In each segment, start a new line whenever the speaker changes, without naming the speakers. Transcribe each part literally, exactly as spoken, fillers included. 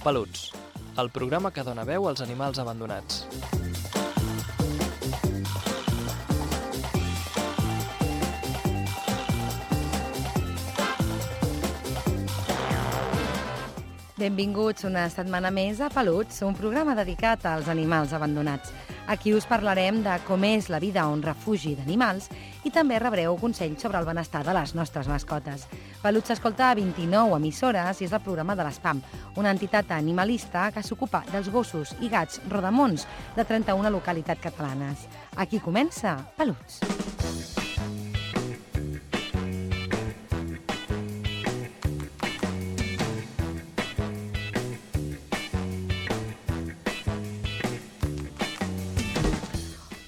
Peluts, el programa que dona veu als animals abandonats.
Benvinguts una setmana més a Peluts, un programa dedicat als animals abandonats. Aquí us parlarem de com és la vida a un refugi d'animals i també rebreu consells sobre el benestar de les nostres mascotes. Peluts s'escolta a vint-i-nou emissores i és el programa de l'Espam, una entitat animalista que s'ocupa dels gossos i gats rodamons de trenta-una localitats catalanes. Aquí comença Peluts.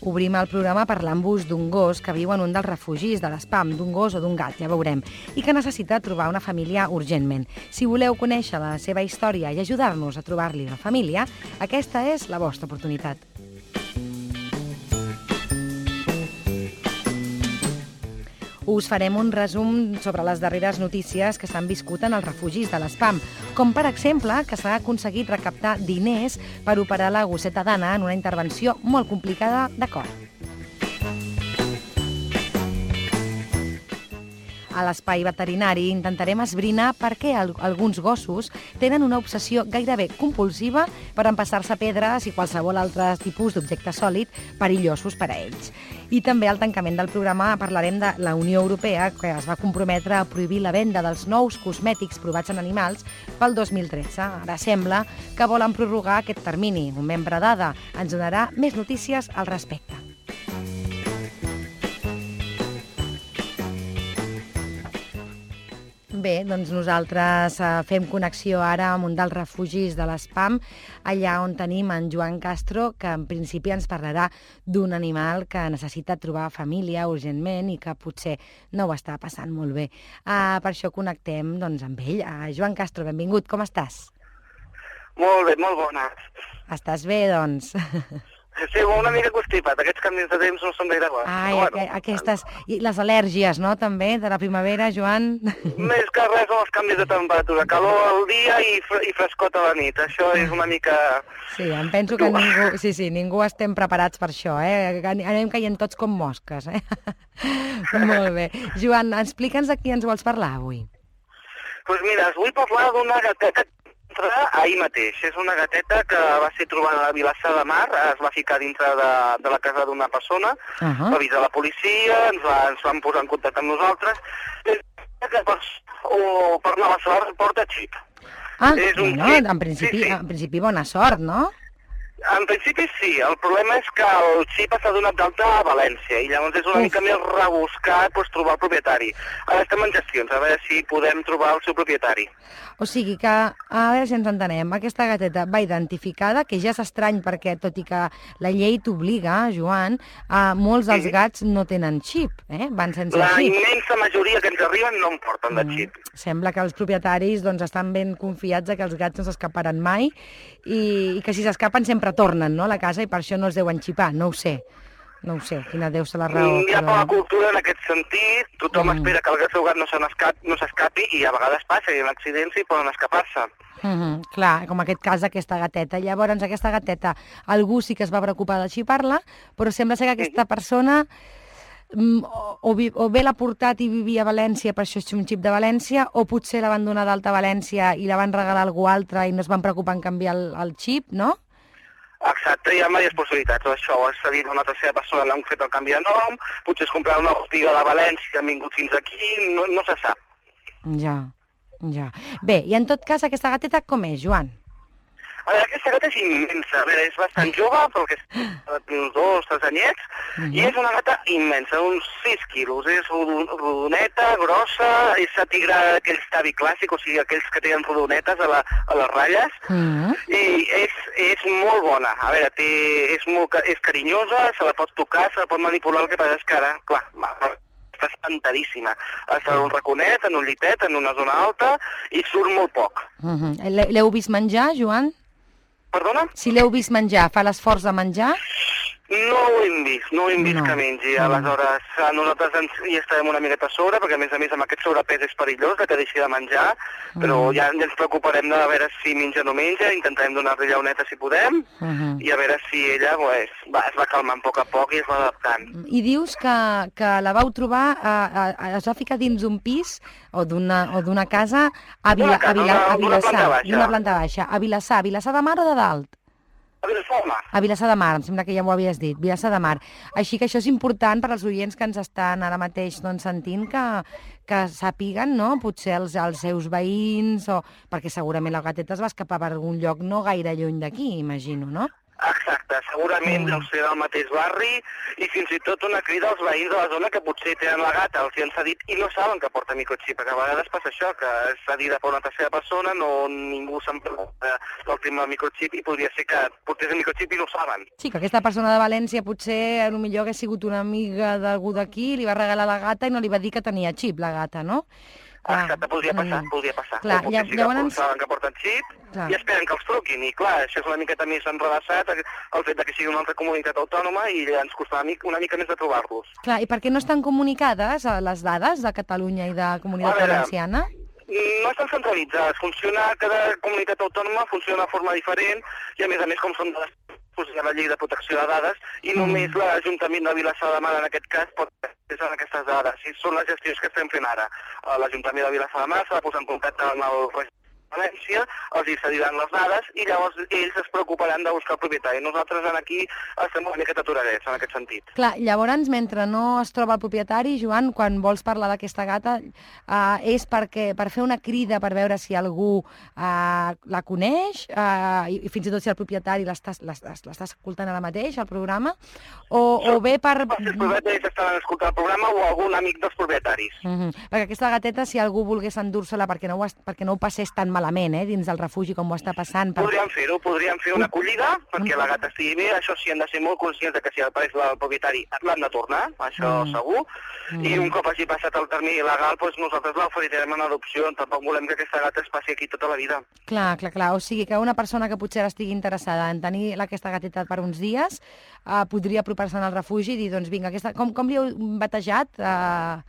Obrim el programa parlant-vos d'un gos que viu en un dels refugis de l'Espam, d'un gos o d'un gat, ja veurem, i que necessita trobar una família urgentment. Si voleu conèixer la seva història i ajudar-nos a trobar-li una família, aquesta és la vostra oportunitat. Us farem un resum sobre les darreres notícies que s'han viscut en els refugis de l'Espam, com per exemple que s'ha aconseguit recaptar diners per operar la gosseta d'Anna en una intervenció molt complicada de cor. A l'espai veterinari intentarem esbrinar per què alguns gossos tenen una obsessió gairebé compulsiva per empassar-se pedres i qualsevol altre tipus d'objecte sòlid perillosos per a ells. I també al tancament del programa parlarem de la Unió Europea, que es va comprometre a prohibir la venda dels nous cosmètics provats en animals pel dos mil tretze. Ara sembla que volen prorrogar aquest termini. Un membre d'A D A ens donarà més notícies al respecte. Bé, doncs nosaltres fem connexió ara amb un dels refugis de l'Espam, allà on tenim en Joan Castro, que en principi ens parlarà d'un animal que necessita trobar família urgentment i que potser no ho està passant molt bé. Uh, per això connectem doncs, amb ell. Uh, Joan Castro, benvingut, com estàs?
Molt bé, molt bona.
Estàs bé, doncs?
Sí, una mica constipat. Aquests canvis de temps no són gaire bons.
Ai, bueno, aquestes... I les al·lèrgies, no?, també, de la primavera, Joan?
Més que res són els canvis de temperatura. Calor al dia i, fre i frescot a la nit. Això és una mica...
Sí, em penso que ningú... Sí, sí, ningú estem preparats per això, eh? Anem caient tots com mosques, eh? Molt bé. Joan, explica'ns de qui ens vols parlar avui.
Doncs pues mira, us vull parlar d'una gateta ahir mateix. És una gateta que va ser trobada a Vilassar de Mar, es va ficar dintre de, de la casa d'una persona, uh -huh. va avisar la policia, ens, va, ens van posar en contacte amb nosaltres, que per, o per anar a la sort porta xip.
Ah, és un no, xip. En, principi, sí, sí. en principi bona sort, no?
En principi sí, el problema és que el xip s'ha donat d'alta a València i llavors és una Uf. mica més rebuscat pues, trobar el propietari. Ara estem en gestions, a veure si podem trobar el seu propietari.
O sigui que, a veure si ens entenem, aquesta gateta va identificada, que ja és estrany perquè, tot i que la llei t'obliga, Joan, a molts dels sí. gats no tenen xip, eh? Van sense
la
xip.
La immensa majoria que ens arriben no en porten de xip.
Mm. Sembla que els propietaris doncs, estan ben confiats que els gats no s'escaparan mai i, i que si s'escapen sempre tornen, no?, a la casa i per això no els deuen xipar, no ho sé. No ho sé, quina deu ser la raó.
Hi ha poca cultura en aquest sentit, tothom mm. espera que el seu gat no s'escapi i a vegades passa, hi ha accidents i poden escapar-se.
Mm -hmm. Clar, com aquest cas d'aquesta gateta. Llavors, aquesta gateta, algú sí que es va preocupar de xipar-la, però sembla ser que aquesta persona o, o, o bé l'ha portat i vivia a València, per això és un xip de València, o potser la van donar d'alta a València i la van regalar a algú altre i no es van preocupar en canviar el, el xip, no?
Exacte, hi ha diverses possibilitats. Això s'ha dit a una tercera persona, l'han fet el canvi de nom, potser es comprar una botiga de València, han vingut fins aquí, no, no se sap.
Ja, ja. Bé, i en tot cas, aquesta gateta com és, Joan?
A veure, aquesta gata és immensa. A veure, és bastant jove, perquè és uns dos, tres anyets, uh -huh. i és una gata immensa, uns sis quilos. És rodoneta, grossa, és la tigra aquells tabi clàssic, o sigui, aquells que tenen rodonetes a, la, a les ratlles, uh -huh. i és, és molt bona. A veure, té, és, molt, és carinyosa, se la pot tocar, se la pot manipular, el que passa és que ara, clar, està espantadíssima. Està en un raconet, en un llitet, en una zona alta, i surt molt poc.
Uh -huh. L'heu vist menjar, Joan?
Perdona?
Si l'heu vist menjar, fa l'esforç de menjar?
No ho hem vist, no ho hem vist
No.
que mengi.
Mm.
Aleshores, eh, nosaltres ens, hi estarem una miqueta a sobre, perquè a més a més amb aquest sobrepès és perillós de que deixi de menjar, però
Mm.
ja, ja ens preocuparem de veure si menja o no menja, intentarem donar-li llauneta si podem,
Mhm.
i a veure si ella pues, va, es va calmant a poc a poc i es va adaptant.
I dius que, que la vau trobar, a, a, es va ficar dins d'un pis o d'una o d'una casa a, Vila,
D'una casa,
a, Vila,
d'una-
a
d'una planta
Vilassar,
baixa.
d'una planta baixa, a Vilassar, Vilassar de Mar o de Dalt?
A veure, home,
A Vilassar de Mar, em sembla que ja m'ho havies dit, Vilassar de Mar. Així que això és important per als oients que ens estan ara mateix doncs, sentint que, que sàpiguen, no?, potser els, els seus veïns, o perquè segurament la gateta es va escapar per algun lloc no gaire lluny d'aquí, imagino, no?
exacte, segurament
Mm.
deu ser del mateix barri i fins i tot una crida als veïns de la zona que potser tenen la gata, els hi han cedit i no saben que porta microxip, perquè a vegades passa això, que és cedida per una tercera persona, no ningú se'n pregunta del tema del microxip i podria ser que portés el microxip i no ho saben.
Sí, que aquesta persona de València potser potser hagués sigut una amiga d'algú d'aquí, li va regalar la gata i no li va dir que tenia xip, la gata, no? Clar,
Exacte, podria passar,
mm.
podria passar.
Clar,
o potser
lla-
sí que
llavors-
saben que porten xip
Clar.
i esperen que els truquin. I clar, això és una miqueta més enredaçat, el fet de que sigui una altra comunitat autònoma i ens costarà una mica- una mica més de trobar-los.
Clar, i per què no estan comunicades eh, les dades de Catalunya i de Comunitat
A veure,
Valenciana?
No estan centralitzades, funciona, cada comunitat autònoma funciona de forma diferent i a més a més com són dades doncs hi ha la llei de protecció de dades i
Mm.
només l'Ajuntament de Vilassar de Mar en aquest cas pot accessar aquestes dades. I són les gestions que estem fent ara. Eh, L'Ajuntament de Vilassar de Mar s'ha de posar en contacte amb el Registre de València, els hi cediran les dades i llavors ells es preocuparan de buscar el propietari. Nosaltres aquí estem una miqueta aturarets en aquest sentit.
Clar, llavors, mentre no es troba el propietari, Joan, quan vols parlar d'aquesta gata, eh, és perquè per fer una crida per veure si algú eh, la coneix, eh, i, i fins i tot si el propietari l'està l'està- l'està escoltant ara mateix, al programa, o, o bé per...
Si els propietaris estaran escoltant el programa o algun amic dels propietaris.
Mhm. Perquè aquesta gateta, si algú volgués endur-se-la perquè, no ho es- perquè no ho passés tan malament, eh, dins del refugi com ho està passant... Per...
Podríem fer-ho, podríem fer una acollida perquè la gata estigui bé, això sí, hem de ser molt conscients de que si apareix el propietari l'han de tornar, això
Mm.
segur,
Mm.
i un cop hagi passat el termini legal, doncs nosaltres l'oferirem en adopció, tampoc volem que aquesta gata es passi aquí tota la vida.
Clar, clar, clar. O sigui que una persona que potser ara estigui interessada en tenir aquesta gateta per uns dies eh, podria apropar-se al refugi i dir, doncs vinga, aquesta... com, com li heu batejat, eh,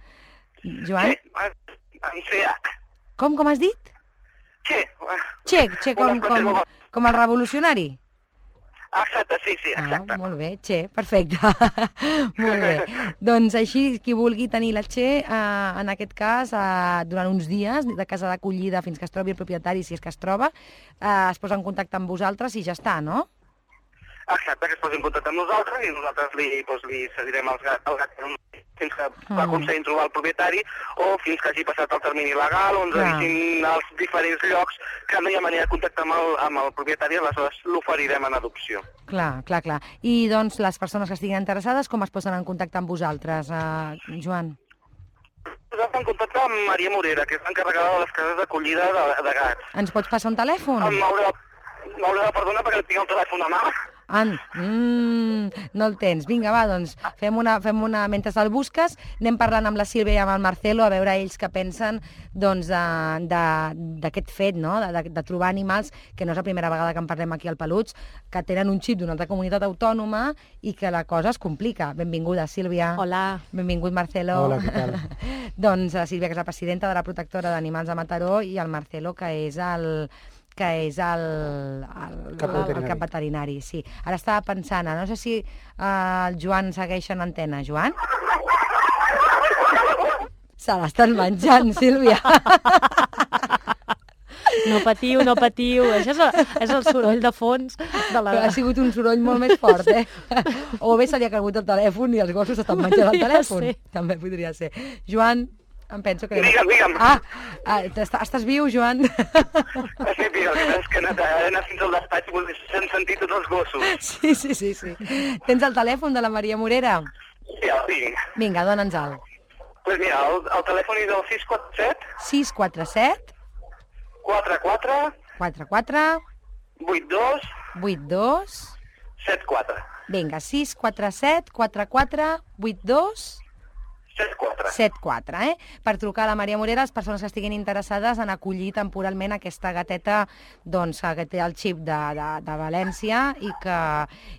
Joan?
Sí, en C H.
Com, com has dit?
Sí,
Che, che, com,
Una frase
com,
molt-
com el revolucionari?
exacte, sí, sí, exacte.
Ah, molt bé, Che, perfecte. Molt bé. Doncs així, qui vulgui tenir la Che, eh, en aquest cas, eh, durant uns dies, de casa d'acollida fins que es trobi el propietari, si és que es troba, eh, es posa en contacte amb vosaltres i ja està, no?
Exacte, que es posi en contacte amb nosaltres i nosaltres li, doncs, li cedirem els gat, el gat fins que mm. aconseguim trobar el propietari o fins que hagi passat el termini legal o ens
Clar.
avisin als diferents llocs que no hi ha manera de contactar amb el, amb el propietari, aleshores l'oferirem en adopció.
Clar, clar, clar. I doncs les persones que estiguin interessades, com es posen en contacte amb vosaltres, eh, Joan?
Nosaltres en contacte amb Maria Morera, que és l'encarregada de les cases d'acollida de, de gats.
Ens pots passar un telèfon?
Em M'haurà m'haurà de perdonar perquè tinc el telèfon a mà.
Ah, mm, no el tens. Vinga, va, doncs fem una, fem una... Mentre el busques, anem parlant amb la Sílvia i amb el Marcelo a veure ells què pensen doncs, de- de- d'aquest fet, no? de, de, de trobar animals, que no és la primera vegada que en parlem aquí al Peluts, que tenen un xip d'una altra comunitat autònoma i que la cosa es complica. Benvinguda, Sílvia.
Hola.
Benvingut, Marcelo.
Hola, què tal?
doncs la Sílvia, que és la presidenta de la protectora d'animals de Mataró, i el Marcelo, que és el que és el, el,
Cap
el, el
veterinari.
cap veterinari, sí. Ara estava pensant, no sé si uh, el Joan segueix en antena. Joan? Se l'estan menjant, Sílvia.
No patiu, no patiu. Això és el, és el soroll de fons de la...
Ha sigut un soroll molt més fort, eh? O bé se li ha caigut el telèfon i els gossos estan menjant el
Podria
telèfon.
ser.
També podria ser. Joan, em penso que...
Digue'm, digue'm.
Ah, ah estàs, estàs viu, Joan?
Sí, tio, el que és que he anat, he anat fins al despatx i s'han sentit tots els gossos.
Sí, sí, sí, sí. Tens el telèfon de la Maria Morera?
Sí, el tinc.
Vinga, dona'ns-el.
Doncs pues mira, el, el telèfon és el sis quatre set
sis quatre set
quatre quatre
quatre quatre
vuit dos
vuit dos.
set quatre.
Vinga, sis quatre set quatre quatre vuit dos.
set quatre.
set quatre, eh? Per trucar a la Maria Morera, les persones que estiguin interessades en acollir temporalment aquesta gateta doncs, que té el xip de, de, de València i que,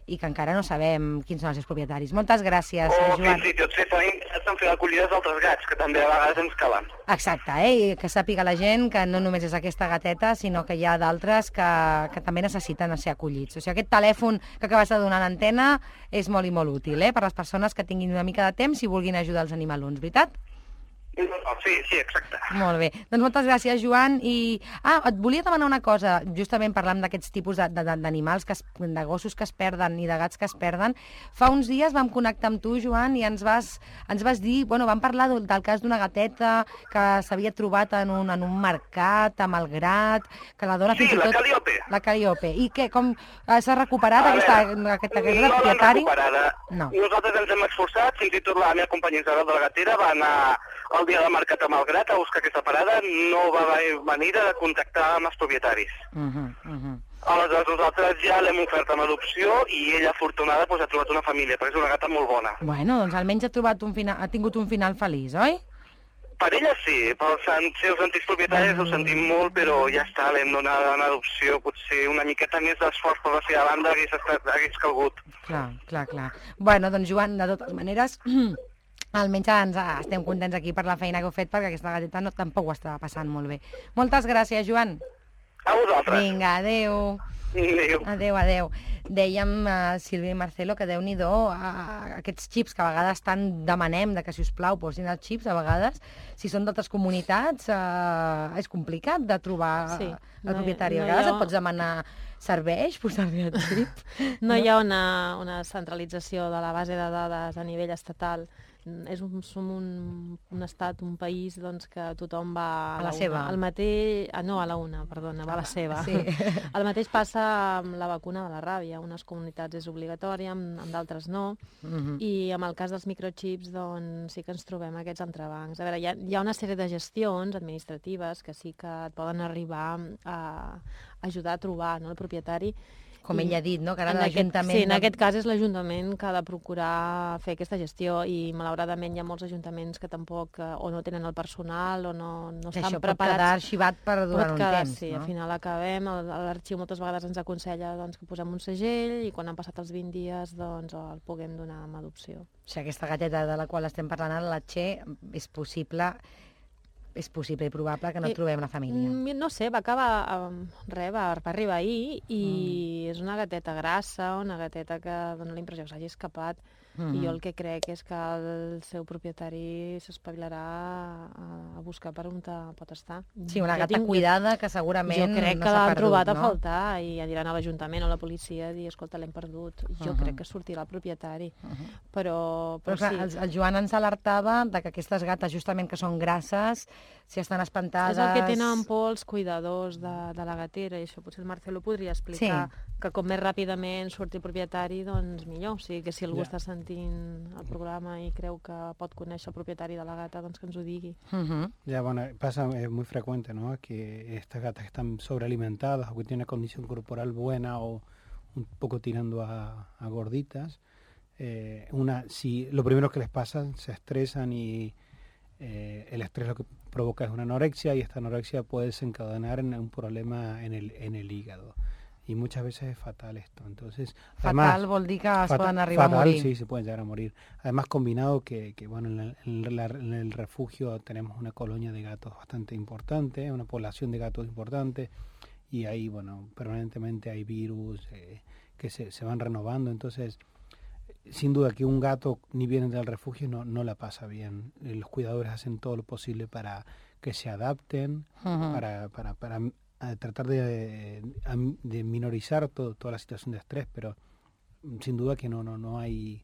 i que encara no sabem quins són els seus propietaris. Moltes gràcies,
O
Joan.
fins i tot si estan interessats en fer acollides d'altres gats, que també a vegades ens calen.
Exacte, eh? I que sàpiga la gent que no només és aquesta gateta, sinó que hi ha d'altres que, que també necessiten ser acollits. O sigui, aquest telèfon que acabes de donar a l'antena és molt i molt útil, eh? Per les persones que tinguin una mica de temps i vulguin ajudar els animalons, veritat?
Sí, sí, exacte.
Molt bé. Doncs moltes gràcies, Joan. I... Ah, et volia demanar una cosa, justament parlant d'aquests tipus de- de- d'animals, que es, de gossos que es perden i de gats que es perden. Fa uns dies vam connectar amb tu, Joan, i ens vas, ens vas dir, bueno, vam parlar del, del cas d'una gateta que s'havia trobat en un, en un mercat, a Malgrat, que la dona
Sí,
fins i
la
tot...
Calliope.
La Calliope. I què, com eh, s'ha recuperat
A
aquesta,
veure,
aquesta,
no
aquesta
l'han
propietari?
recuperada.
No.
Nosaltres ens hem esforçat, fins i tot la meva companya Isabel de la Gatera va anar el dia de mercat a Malgrat a buscar aquesta parada, no va haver manera de contactar amb els propietaris.
Uh -huh, uh -huh.
Aleshores nosaltres ja l'hem ofert amb adopció i ella, afortunada, doncs, ha trobat una família, perquè és una gata molt bona.
Bueno, doncs almenys ha, trobat un final, ha tingut un final feliç, oi?
Per ella sí, pels an- seus antics propietaris ho sentim molt, però ja està, l'hem donat en adopció, potser una miqueta més d'esforç per la seva banda hagués, estat, hagués calgut.
Clar, clar, clar. Bueno, doncs Joan, de totes maneres, almenys ens, estem contents aquí per la feina que heu fet, perquè aquesta gateta no, tampoc ho estava passant molt bé. Moltes gràcies, Joan.
A vosaltres.
Vinga, adeu.
Adéu.
Adéu, adéu. Dèiem, uh, Sílvia i Marcelo, que déu-n'hi-do, uh, aquests xips que a vegades tant demanem de que, si us plau, posin els xips, a vegades, si són d'altres comunitats, uh, és complicat de trobar
Sí,
el
no hi-
propietari.
no
A
hi
vegades
ha-
et pots demanar serveix posar-li el xip.
No hi ha una, una centralització de la base de dades a nivell estatal. És un, som un, un estat, un país doncs, que tothom va a,
A la
una.
seva.
El mateix... Ah, no, a la una, perdona, va a la seva.
Sí.
El mateix passa amb la vacuna de la ràbia. En unes comunitats és obligatòria, en, en d'altres no.
Mhm.
I amb el cas dels microchips doncs, sí que ens trobem aquests entrebancs. A veure, hi ha, hi ha una sèrie de gestions administratives que sí que et poden arribar a ajudar a trobar, no, el propietari.
Com
I
ell ha dit, no? Que ara
en aquest-
l'Ajuntament...
Sí, en
de-
aquest cas és l'Ajuntament que ha de procurar fer aquesta gestió i malauradament hi ha molts ajuntaments que tampoc eh, o no tenen el personal o no, no estan
Això pot
preparats.
quedar arxivat per durant
Pot
un
quedar,
temps,
sí,
no?
al final acabem, el- l'arxiu moltes vegades ens aconsella doncs, que posem un segell i quan han passat els vint dies doncs, el puguem donar amb adopció.
O sigui, aquesta gateta de la qual estem parlant ara, la Txé, és possible, és possible i probable que no
Eh,
trobem la família.
Mm, No sé, va acabar, um, res, va, va arribar ahir i
Mm.
és una gateta grassa, una gateta que dona la impressió que s'hagi escapat.
Mhm.
I jo el que crec és que el seu propietari s'espavilarà a, a buscar per on te pot estar.
Sí, una
Jo
gata
tinc-
cuidada que segurament
Jo crec
no
que
s'ha
l'han
perdut,
trobat a
no?
faltar i aniran a l'Ajuntament o a la policia a dir, escolta, l'hem perdut. Jo
Mhm.
crec que sortirà el propietari. Però,
Però
però,
clar,
sí.
el, el Joan ens alertava de que aquestes gates, justament que són grasses, si estan espantades...
És el que tenen por els cuidadors de, de la gatera, i això potser el Marcelo podria explicar,
Sí.
que com més ràpidament surti el propietari, doncs millor. O sigui, que si algú
Ja.
està sentint el programa i creu que pot conèixer el propietari de la gata, doncs que ens ho digui.
Mhm.
Ya, bueno, pasa, es muy frecuente, ¿no? Que estas gatas están sobrealimentadas o que tienen una condición corporal buena o un poco tirando a, a gorditas. Eh, una, si lo primero que les pasa, se estresan y eh, el estrés lo que provoca es una anorexia y esta anorexia puede desencadenar en un problema en el, en el hígado. Y muchas veces es fatal esto. Entonces,
Fatal vol dir que es
Fata-
poden arribar
fatal,
a morir.
sí, se pueden llegar a morir. Además, combinado que, que bueno, en el, en la- en el refugio tenemos una colonia de gatos bastante importante, una población de gatos importante, y ahí, bueno, permanentemente hay virus eh, que se, se van renovando. Entonces, sin duda que un gato, ni viene del refugio, no, no la pasa bien. Eh, Los cuidadores hacen todo lo posible para que se adapten,
Mhm.
para, para, para a tratar de, am- de minorizar todo, toda la situación de estrés, pero mm, sin duda que no, no, no hay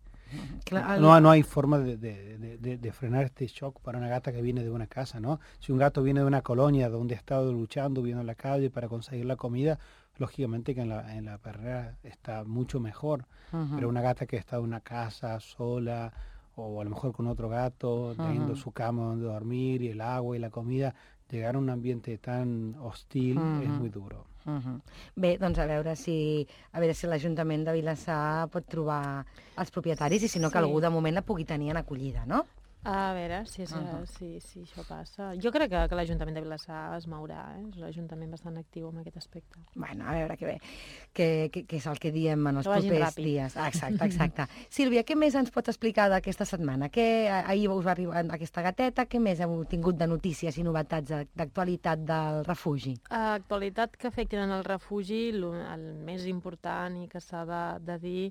Clar, el-
no, no hay forma de, de- de- de- de frenar este shock para una gata que viene de una casa, ¿no? Si un gato viene de una colonia donde ha estado luchando, viviendo en la calle para conseguir la comida, lógicamente que en la, en la perrera está mucho mejor.
Ujú.
Pero una gata que está en una casa sola o a lo mejor con otro gato, teniendo
Ujú.
su cama donde dormir y el agua y la comida, llegar a un ambiente tan hostil es
Ujú.
muy duro.
Mhm. Bé, doncs a veure si a veure si l'Ajuntament de Vilassar pot trobar els propietaris i si no que
Sí.
algú de moment la pugui tenir en acollida, no?
A veure si, és, uh-huh. si, si això passa. Jo crec que, que l'Ajuntament de Vilassar es mourà, eh? És un ajuntament bastant actiu en aquest aspecte.
Bueno, a veure què bé, què, què, què és el que diem en els
que
propers
ràpid.
dies. Ah, exacte, exacte. Sílvia, què més ens pots explicar d'aquesta setmana? Què, ahir us va arribar aquesta gateta, què més heu tingut de notícies i novetats d'actualitat del refugi?
Actualitat que afecten el refugi, el més important i que s'ha de, de dir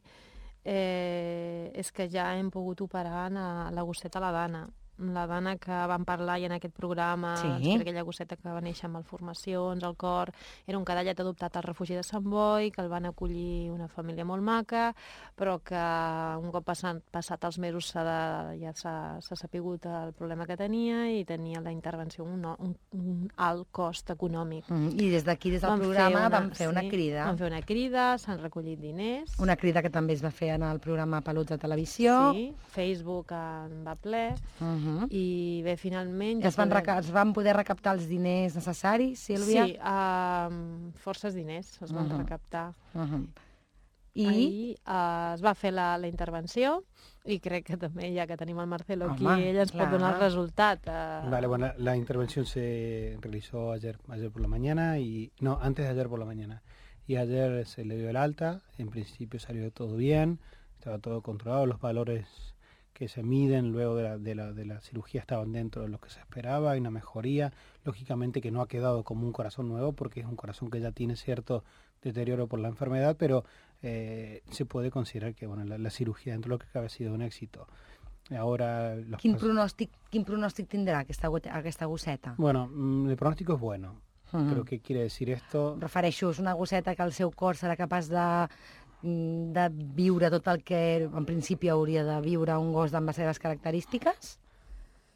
eh, és que ja hem pogut operar a la gosseta la Dana. La Dana que vam parlar ja en aquest programa,
sí.
aquella gosseta que va néixer amb malformacions al cor, era un cadallet adoptat al refugi de Sant Boi, que el van acollir una família molt maca, però que un cop passat, passat els mesos de, ja s'ha sapigut el problema que tenia i tenia la intervenció un, un, un alt cost econòmic.
Mm, I des d'aquí, des del vam programa, fer una, vam fer una
sí,
crida.
Vam fer una crida, s'han recollit diners.
Una crida que també es va fer en el programa Peluts de Televisió.
Sí, Facebook en va ple. Uh-huh. Uh-huh. I bé, finalment...
Ja es, van podem... es van poder recaptar els diners necessaris, Sílvia?
Sí, uh, forces diners es van uh-huh. recaptar. Uh-huh.
I
ahir uh, es va fer la, la intervenció i crec que també, ja que tenim el Marcelo aquí, Home, ell ens clar. pot donar el resultat. Uh...
Vale, bueno, la intervención se realizó ayer, ayer por la mañana, y no, antes de ayer por la mañana. Y ayer se le dio el alta, en principio salió todo bien, estaba todo controlado, los valores que se miden luego de la, de, la, de la cirugía estaban dentro de lo que se esperaba, hay una mejoría, lógicamente que no ha quedado como un corazón nuevo porque es un corazón que ya tiene cierto deterioro por la enfermedad, pero eh, se puede considerar que bueno, la, la cirugía dentro de lo que cabe ha sido un éxito. Ahora los
quin, pronòstic, quin pronòstic tindrà aquesta, aquesta gosseta?
Bueno, el pronóstico es bueno. Uh-huh. ¿Pero qué quiere decir esto?
Refereixo, és una gosseta que el seu cor serà capaç de de viure tot el que en principi hauria de viure un gos amb les seves característiques?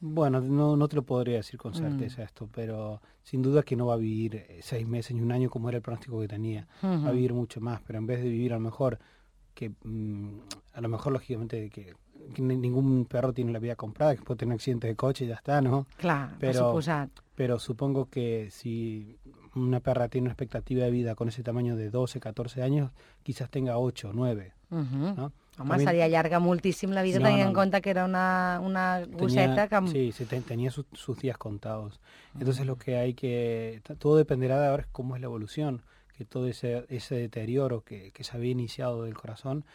Bueno, no, no te lo podría decir con certeza mm. esto, pero sin duda que no va a vivir seis meses ni un año como era el pronóstico que tenía. Uh-huh. Va a vivir mucho más, pero en vez de vivir a lo mejor, que mmm, a lo mejor lógicamente que, que ningún perro tiene la vida comprada, que puede tener accidente de coche y ya está, ¿no?
Clar,
pero,
per
pero supongo que si una perra tiene una expectativa de vida con ese tamaño de doce, catorce años, quizás tenga ocho, nueve, uh-huh. ¿no?
Home, También, seria llarga moltíssim la vida, no, tenint no, en cuenta que era una, una gosseta que...
Sí, sí ten, tenía sus, sus días contados. Entonces uh-huh. lo que hay que... Todo dependerá de ahora cómo es la evolución, que todo ese, ese deterioro que, que se había iniciado del corazón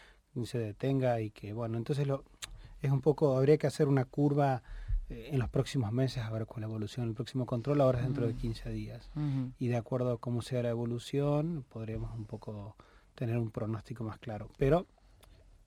se detenga y que, bueno, entonces lo, es un poco... Habría que hacer una curva eh, en los próximos meses, a ver con la evolución. El próximo control ahora es dentro uh-huh. de quince días. Uh-huh. Y de acuerdo a cómo sea la evolución, podremos un poco tener un pronóstico más claro. Pero...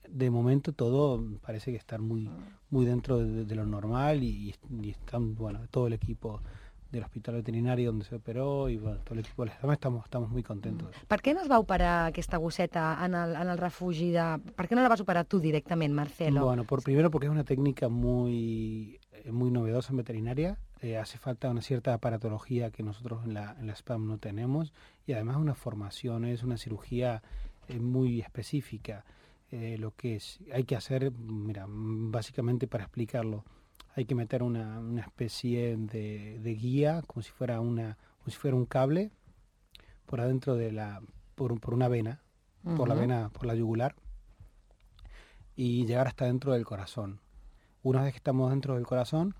de momento todo parece que está muy muy dentro de, de lo normal y, y están, bueno, todo el equipo del hospital veterinario donde se operó y bueno, todo el equipo de la estamos, estamos muy contentos.
Per què no es va operar aquesta gosseta en el, en el refugi de... Per què no la vas operar tu directament, Marcelo?
Bueno, por primero porque es una técnica muy, muy novedosa en veterinaria. Eh, hace falta una cierta aparatología que nosotros en la, en la S P A M no tenemos y además una formación, es una cirugía eh, muy específica. Eh, lo que es, hay que hacer, mira, básicamente para explicarlo, hay que meter una, una especie de, de guía, como si fuera una, como si fuera un cable, por adentro de la, por, por una vena, uh-huh. por la vena, por la yugular, y llegar hasta dentro del corazón. Una vez que estamos dentro del corazón,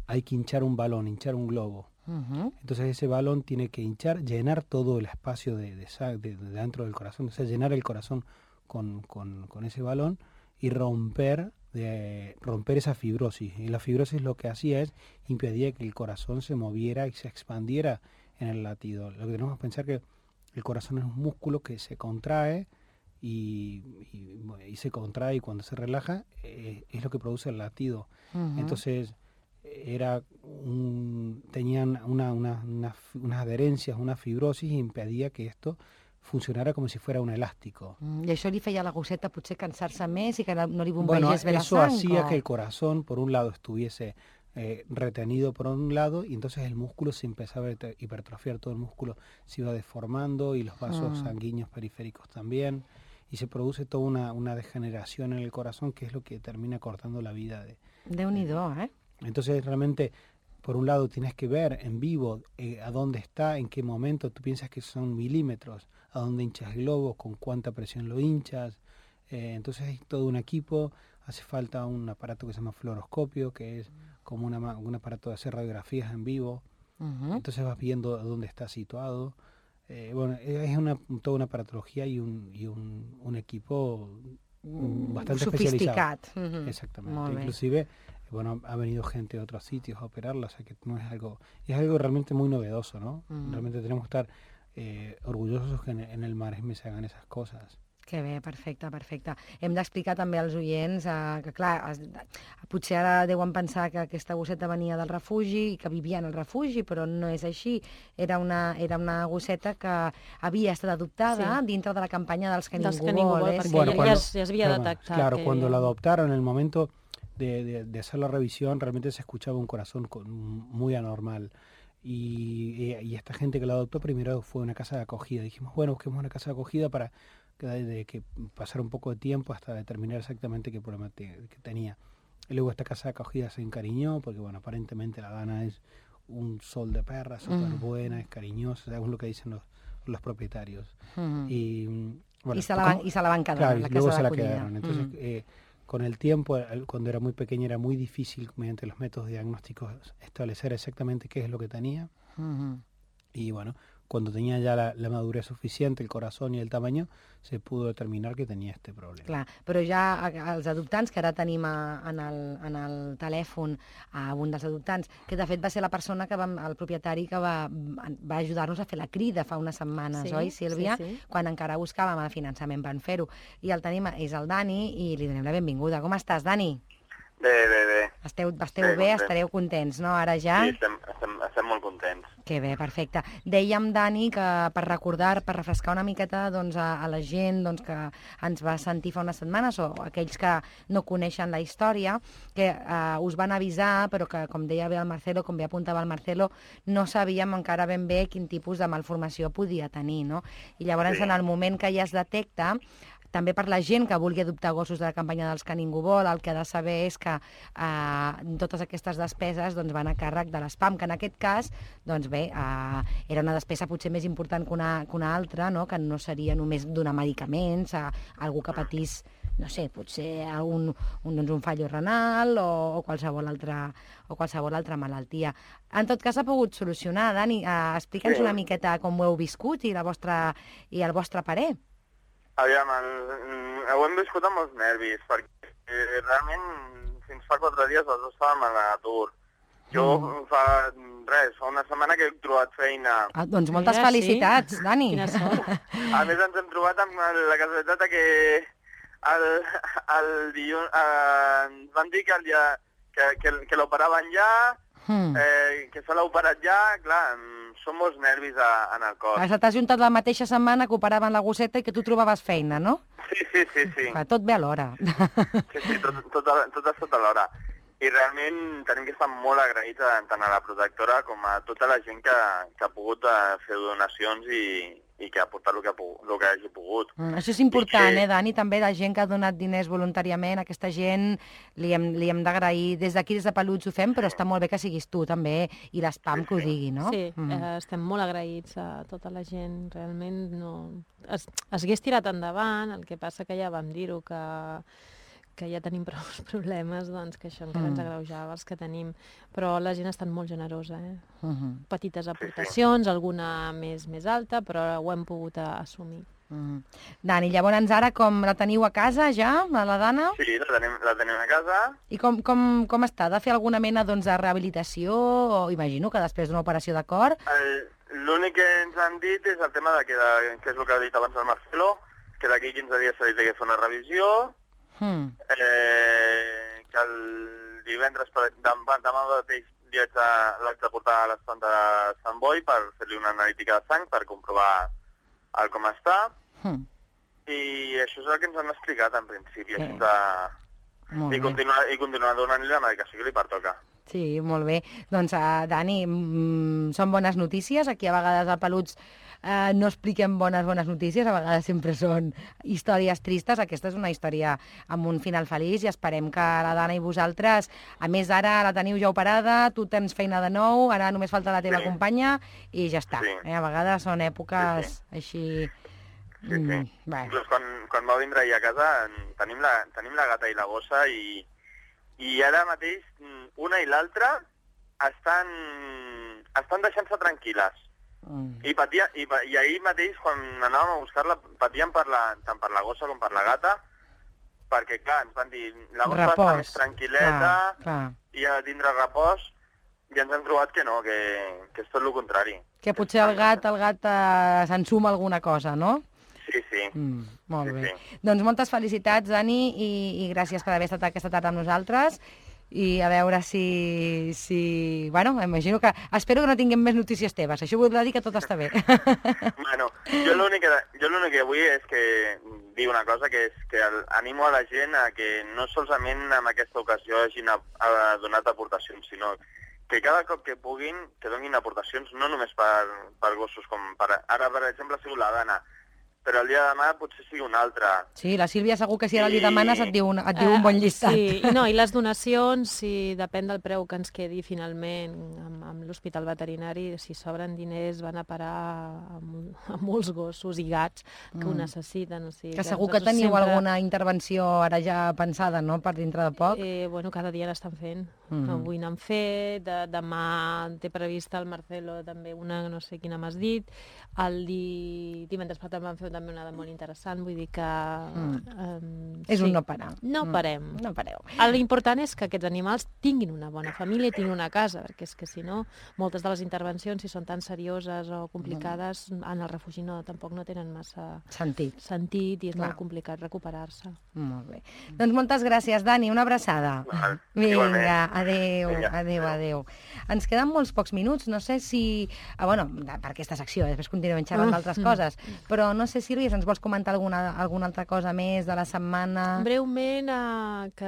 hay que hinchar un balón, hinchar un globo. Uh-huh. Entonces ese balón tiene que hinchar, llenar todo el espacio de, de, de, de dentro del corazón, o sea, llenar el corazón Con, con, con ese balón y romper de, romper esa fibrosis. Y la fibrosis lo que hacía es impedía que el corazón se moviera y se expandiera en el latido. Lo que tenemos que pensar que el corazón es un músculo que se contrae y, y, y se contrae y cuando se relaja eh, es lo que produce el latido. Uh-huh. Entonces era un, tenían una, una, una, unas adherencias, una fibrosis y impedía que esto funcionara como si fuera un elástico.
Mm, I això li feia a la gosseta potser cansar-se més i que no li bombegés
bueno,
bé la sang?
Bueno, eso hacía o... que el corazón, por un lado, estuviese eh, retenido por un lado y entonces el músculo se empezaba a hipertrofiar, todo el músculo se iba deformando y los vasos mm. sanguíneos periféricos también y se produce toda una, una degeneración en el corazón que es lo que termina cortando la vida de...
Déu-n'hi-do, eh?
Entonces realmente... Por un lado tienes que ver en vivo eh, a dónde está, en qué momento, tú piensas que son milímetros, a dónde hinchas el globo, con cuánta presión lo hinchas, eh, entonces hay todo un equipo, hace falta un aparato que se llama fluoroscopio, que es como una, un aparato de hacer radiografías en vivo. Uh-huh. Entonces vas viendo dónde está situado. Eh, bueno, es una, toda una aparatología y un, y un, un equipo bastante
sofisticat.
Especializado. Uh-huh. Exactamente. Inclusive, bueno, ha venido gente de otros sitios a operarla, o sea que no es algo, es algo realmente muy novedoso, ¿no? Uh-huh. Realmente tenemos que estar eh, orgullosos que en, en el Maresme se hagan esas cosas.
Que bé, perfecte, perfecte. Hem d'explicar també als oients eh, que, clar, es, potser ara deuen pensar que aquesta gosseta venia del refugi i que vivia en el refugi, però no és així. Era una, era una gosseta que havia estat adoptada sí. dintre de la campanya dels que,
dels
ningú,
que ningú
vol.
vol, perquè
bueno,
ja,
cuando,
ja, es, ja es havia
claro,
detectat.
Claro,
que
cuando
ja...
la adoptaron, en el momento de, de, de hacer la revisión, realmente se escuchaba un corazón con, muy anormal. Y, y, y esta gente que la adoptó primero fue una casa de acogida. Dijimos, bueno, busquemos una casa de acogida para de, de que pasar un poco de tiempo hasta determinar exactamente qué problema te, que tenía. Y luego esta casa de acogida se encariñó, porque bueno, aparentemente la Dana es un sol de perra, súper mm. buena, es cariñosa, según lo que dicen los, los propietarios.
Mm.
Y, bueno,
y, se la van, y se la van quedar
claro,
en la
y luego
casa
se
de
la quedaron. Entonces,
mm.
eh, con el tiempo, cuando era muy pequeña, era muy difícil, mediante los métodos diagnósticos, establecer exactamente qué es lo que tenía. Mm. Y bueno, cuando tenía ya la, la madurez suficiente, el corazón y el tamaño, se pudo determinar que tenia este problema.
Clar, però ja els adoptants, que ara tenim a, en, el, en el telèfon a un dels adoptants, que de fet va ser la persona, que va, el propietari, que va, va ajudar-nos a fer la crida fa unes setmanes, sí, oi, Sílvia? Sí, sí. Quan encara buscàvem el finançament per fer-ho. I el tenim, és el Dani, i li donem la benvinguda. Com estàs, Dani?
Bé, bé, bé.
Esteu, esteu bé, bé estareu contents, no, ara ja?
Sí, estem, estem, estem molt contents.
Que bé, perfecte. Dèiem, Dani, que per recordar, per refrescar una miqueta doncs, a, a la gent doncs, que ens va sentir fa unes setmanes, o aquells que no coneixen la història, que eh, us van avisar, però que, com deia bé el Marcelo, com bé apuntava el Marcelo, no sabíem encara ben bé quin tipus de malformació podia tenir, no? I llavors, sí. en el moment que ja es detecta, també per la gent que vulgui adoptar gossos de la campanya dels que ningú vol, el que ha de saber és que eh, totes aquestes despeses doncs, van a càrrec de l'S P A M, que en aquest cas, doncs bé, eh, era una despesa potser més important que una, que una altra, no? Que no seria només donar medicaments a algú que patís, no sé, potser un, un, doncs un fallo renal o, o, qualsevol altra, o qualsevol altra malaltia. En tot cas, s'ha pogut solucionar. Dani, eh, explica'ns sí. una miqueta com ho heu viscut i, la vostra, i el vostre parer.
Aviam, el, ho hem viscut amb molts nervis, perquè realment fins fa quatre dies els dos estàvem a l'atur. Jo mm. fa res, fa una setmana que he trobat feina.
Ah, doncs moltes Mira, felicitats, sí. Dani.
Quina sort.
A més ens hem trobat amb la casualitat que el, el dilluns eh, ens van dir que, el dia, que, que, que l'operaven ja, mm. eh, que se l'ha operat ja, clar, són molts nervis a, en el cos.
Has t'has juntat la mateixa setmana que operaven la gosseta i que tu trobaves feina, no?
Sí, sí, sí. sí.
Clar, tot bé alhora.
Sí, sí, tot, tot, tot, tot a l'hora. I realment tenim que estar molt agraïts a, tant a la protectora com a tota la gent que, que ha pogut fer donacions i, i que ha aportat el que, ha pogut, el que hagi pogut.
Mm, això és important,
que...
eh, Dani? També la gent que ha donat diners voluntàriament, aquesta gent li hem, li hem d'agrair. Des d'aquí, des de Peluts ho fem, però està molt bé que siguis tu també i l'S P A M sí, que ho digui, no?
Sí, mm. eh, estem molt agraïts a tota la gent. Realment no... Es, es hagués tirat endavant, el que passa que ja vam dir-ho, que... que ja tenim prou problemes, doncs que això encara mm. ens agreujava els que tenim. Però la gent ha estat molt generosa, eh? Uh-huh. Petites aportacions, alguna més més alta, però ho hem pogut assumir.
Uh-huh. Dani, llavors ara com la teniu a casa ja, la Dana?
Sí, la tenim, la tenim a casa.
I com, com, com està? Ha de fer alguna mena doncs, de rehabilitació? O imagino que després d'una operació de cor?
L'únic que ens han dit és el tema de que, de, que és el que ha dit abans el Marcelo, que d'aquí quinze dies s'ha dit que fer una revisió. Hmm. Eh, que el divendres, demà, demà mateix li haig de portar a l'estand de Sant Boi per fer-li una analítica de sang per comprovar el com està. Hmm. I això és el que ens han explicat en principi. Eh. De... I, continuar, I continuar donant-li la medicació que li pertoca.
Sí, molt bé. Doncs, uh, Dani, mm, són bones notícies. Aquí a vegades a Peluts Uh, no expliquem bones, bones notícies, a vegades sempre són històries tristes. Aquesta és una història amb un final feliç i esperem que la Dana i vosaltres, a més ara la teniu ja operada, tu tens feina de nou, ara només falta la teva sí. companya i ja està. Sí. Eh? A vegades són èpoques sí, sí. així
sí, sí.
Mm, bé.
Inclús quan, quan va vindre ahir a casa tenim la, tenim la gata i la gossa i, i ara mateix una i l'altra estan, estan deixant-se tranquil·les.
Mm.
I, patia, i, I ahir mateix, quan anàvem a buscar-la, patien per la, tant per la gossa com per la gata, perquè, clar, ens van dir, la gossa
Repòs.
està més tranquil·leta,
Clar, clar.
i ha de tindre repòs, i ens hem trobat que no, que, que és tot el contrari.
Que potser el gat, el gat eh, s'ensuma alguna cosa, no?
Sí, sí.
Mm, molt
Sí,
bé.
sí.
Doncs moltes felicitats, Dani, i, i gràcies per haver estat aquesta tarda amb nosaltres. I a veure si... si... Bueno, imagino que... Espero que no tinguem més notícies teves. Això voldrà dir que tot està bé.
Bueno, jo l'únic que, jo l'únic que vull és que dir una cosa, que és que el, animo a la gent a que no solament en aquesta ocasió hagin a, a donat aportacions, sinó que cada cop que puguin, que donin aportacions, no només per, per gossos, com per, ara, per exemple, ha sigut la Dana, però el dia de demà potser sigui un altre.
Sí, la Sílvia segur que si ara li
I-
demanes et diu un, et diu un bon llistat.
Sí, i no, i les donacions, si depèn del preu que ens quedi finalment amb, amb l'hospital veterinari, si sobren diners van a parar a, mol- a molts gossos i gats que ho
Mm.
necessiten. O sigui,
Que segur que
nosaltres
teniu
sempre,
alguna intervenció ara ja pensada, no?, per dintre de poc.
Eh, bueno, cada dia n'estan fent.
Mhm.
Avui n'han fet, de, demà té prevista el Marcelo també una, no sé quina m'has dit, el di... divendres passat van fer també una de molt interessant, vull dir que...
Mm.
Um,
És un no parar.
No
Mm.
parem.
No pareu.
L'important és que aquests animals tinguin una bona família i tinguin una casa, perquè és que si no, moltes de les intervencions, si són tan serioses o complicades, en el refugi no, tampoc no tenen massa
Sentit.
sentit i és
Clar.
molt complicat recuperar-se.
Molt bé. Doncs moltes gràcies, Dani. Una abraçada.
Val,
Vinga,
igualment.
adéu,
Vinga,
adéu, adéu. Ens queden molts pocs minuts. No sé si... Ah, bueno, de- per aquesta secció, després continuem xerrant d'altres coses. Però no sé, Sílvia, si ens vols comentar alguna, alguna altra cosa més de la setmana...
Breument, eh, que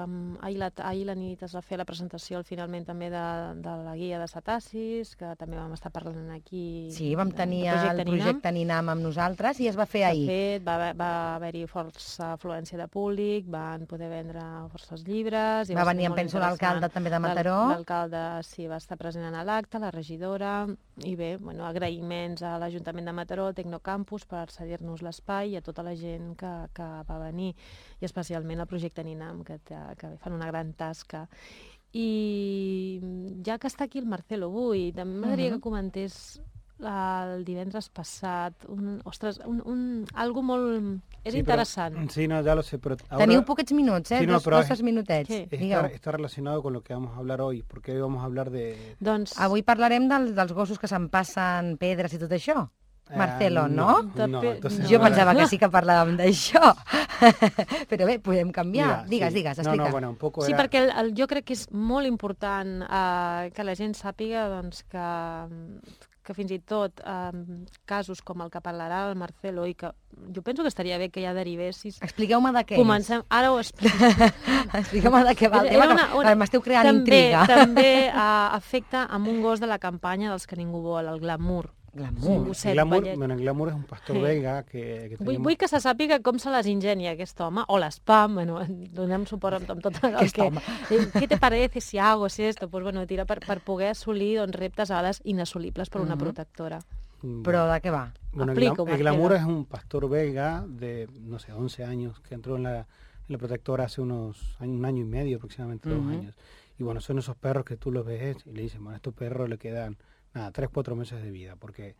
mm, ahir, la, ahir la nit es va fer la presentació al finalment també de, de la guia de cetacis, que també vam estar parlant aquí.
Sí, vam
de-
tenir
del
el projecte Ninam amb nosaltres i es va fer
S'ha
ahir.
fet, va, haver- va haver-hi força afluència de públic, van poder vendre forces llibres... i
Va
ser
venir, em
molt
penso, l'alcalde
interessant.
també de
L'al-
Mataró.
L'alcalde sí, va estar present en l'acte, la regidora, i bé, bueno, agraïments a l'Ajuntament de Mataró, al Tecnocampus, per cedir-nos l'espai i a tota la gent que, que va venir, i especialment al projecte Ninam, que, té- que fan una gran tasca. I ja que està aquí el Marcelo avui, també m'agradaria
Mhm.
que comentés el divendres passat, un, ostres, un, un, algo molt... És
Sí,
interessant.
Pero, sí, no, ya lo sé, pero ahora
Teniu poquets minuts, eh?
Sí, no,
dos,
però
dos,
és-
tres minutets.
Sí.
Digueu.
está, está relacionado con lo que vamos a hablar hoy, porque hoy vamos a hablar de...
Doncs...
Avui parlarem del, dels gossos que se'n passen pedres i tot això.
eh,
Marcelo, no?
De
No,
pe-
entonces
no.
Jo
ahora-
pensava que sí que parlàvem d'això. Però bé, podem canviar.
Mira,
digues,
sí.
digues,
No,
explica.
no, bueno, un poco
Sí,
era...
perquè el, el, jo crec que és molt important eh, que la gent sàpiga doncs, que, que fins i tot eh, casos com el que parlarà el Marcelo i que jo penso que estaria bé que ja derivessis.
Expliqueu-me de què
Comencem, ara ho explico.
és. Expliqueu-me de què va el
Era
tema,
una-
que
una-
m'esteu creant
també,
intriga.
També uh, afecta amb un gos de la campanya dels que ningú vol, el glamour.
Glamour.
Un gosset
el glamour,
vellet.
bueno, el glamour es un pastor
Sí.
belga que, que
Vull,
tenemos...
vull que se sàpiga com se les ingenia aquest home, o l'espam, bueno, donem suport amb, amb tot el
Aquest
que...
home.
Eh, Què te parece si hago si esto? Pues bueno, tira per, per poder assolir doncs, reptes a vegades inassolibles per una
Mhm.
protectora.
Mm,
Però de què va?
Bueno, el,
Explico,
glam- el glamour
Marcelo.
es un pastor belga de, no sé, once años, que entró en la, en la protectora hace unos años, un año y medio, aproximadamente dos
Ujú.
años. Y bueno, son esos perros que tú los ves y le dices, bueno, a estos perros le quedan, nada, tres, cuatro meses de vida, porque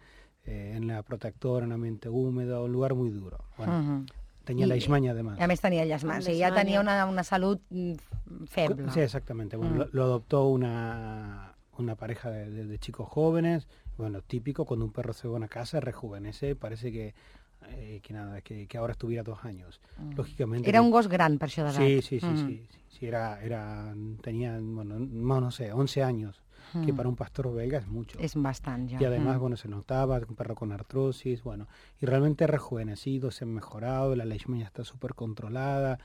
eh, en la protectora, en un ambiente húmedo, un lugar muy duro. Bueno,
Mhm.
tenía
I-
la ismaña además.
A més tenia llàsties,
Amb
i ja
leishmania.
tenia una, una salut mm, feble.
Sí, exactamente. Bueno,
Mm.
lo, lo adoptó una, una pareja de, de- de chicos jóvenes. Bueno, típico, cuando un perro se va a una casa, rejuvenece, parece que, eh, que nada, que, que ahora estuviera dos años.
Mm.
Lógicamente.
Era
que-
un gos gran, per això d'edat.
Sí, sí, sí,
Mm.
sí, sí, sí, era, era, tenía, bueno, no, no sé, once años, que
Mm.
para un pastor belga es mucho.
És bastant, ja.
Y además,
Mm.
bueno, se notaba, un perro con artrosis, bueno, y realmente rejuvenecido, se ha mejorado, la leishmania está súper controlada,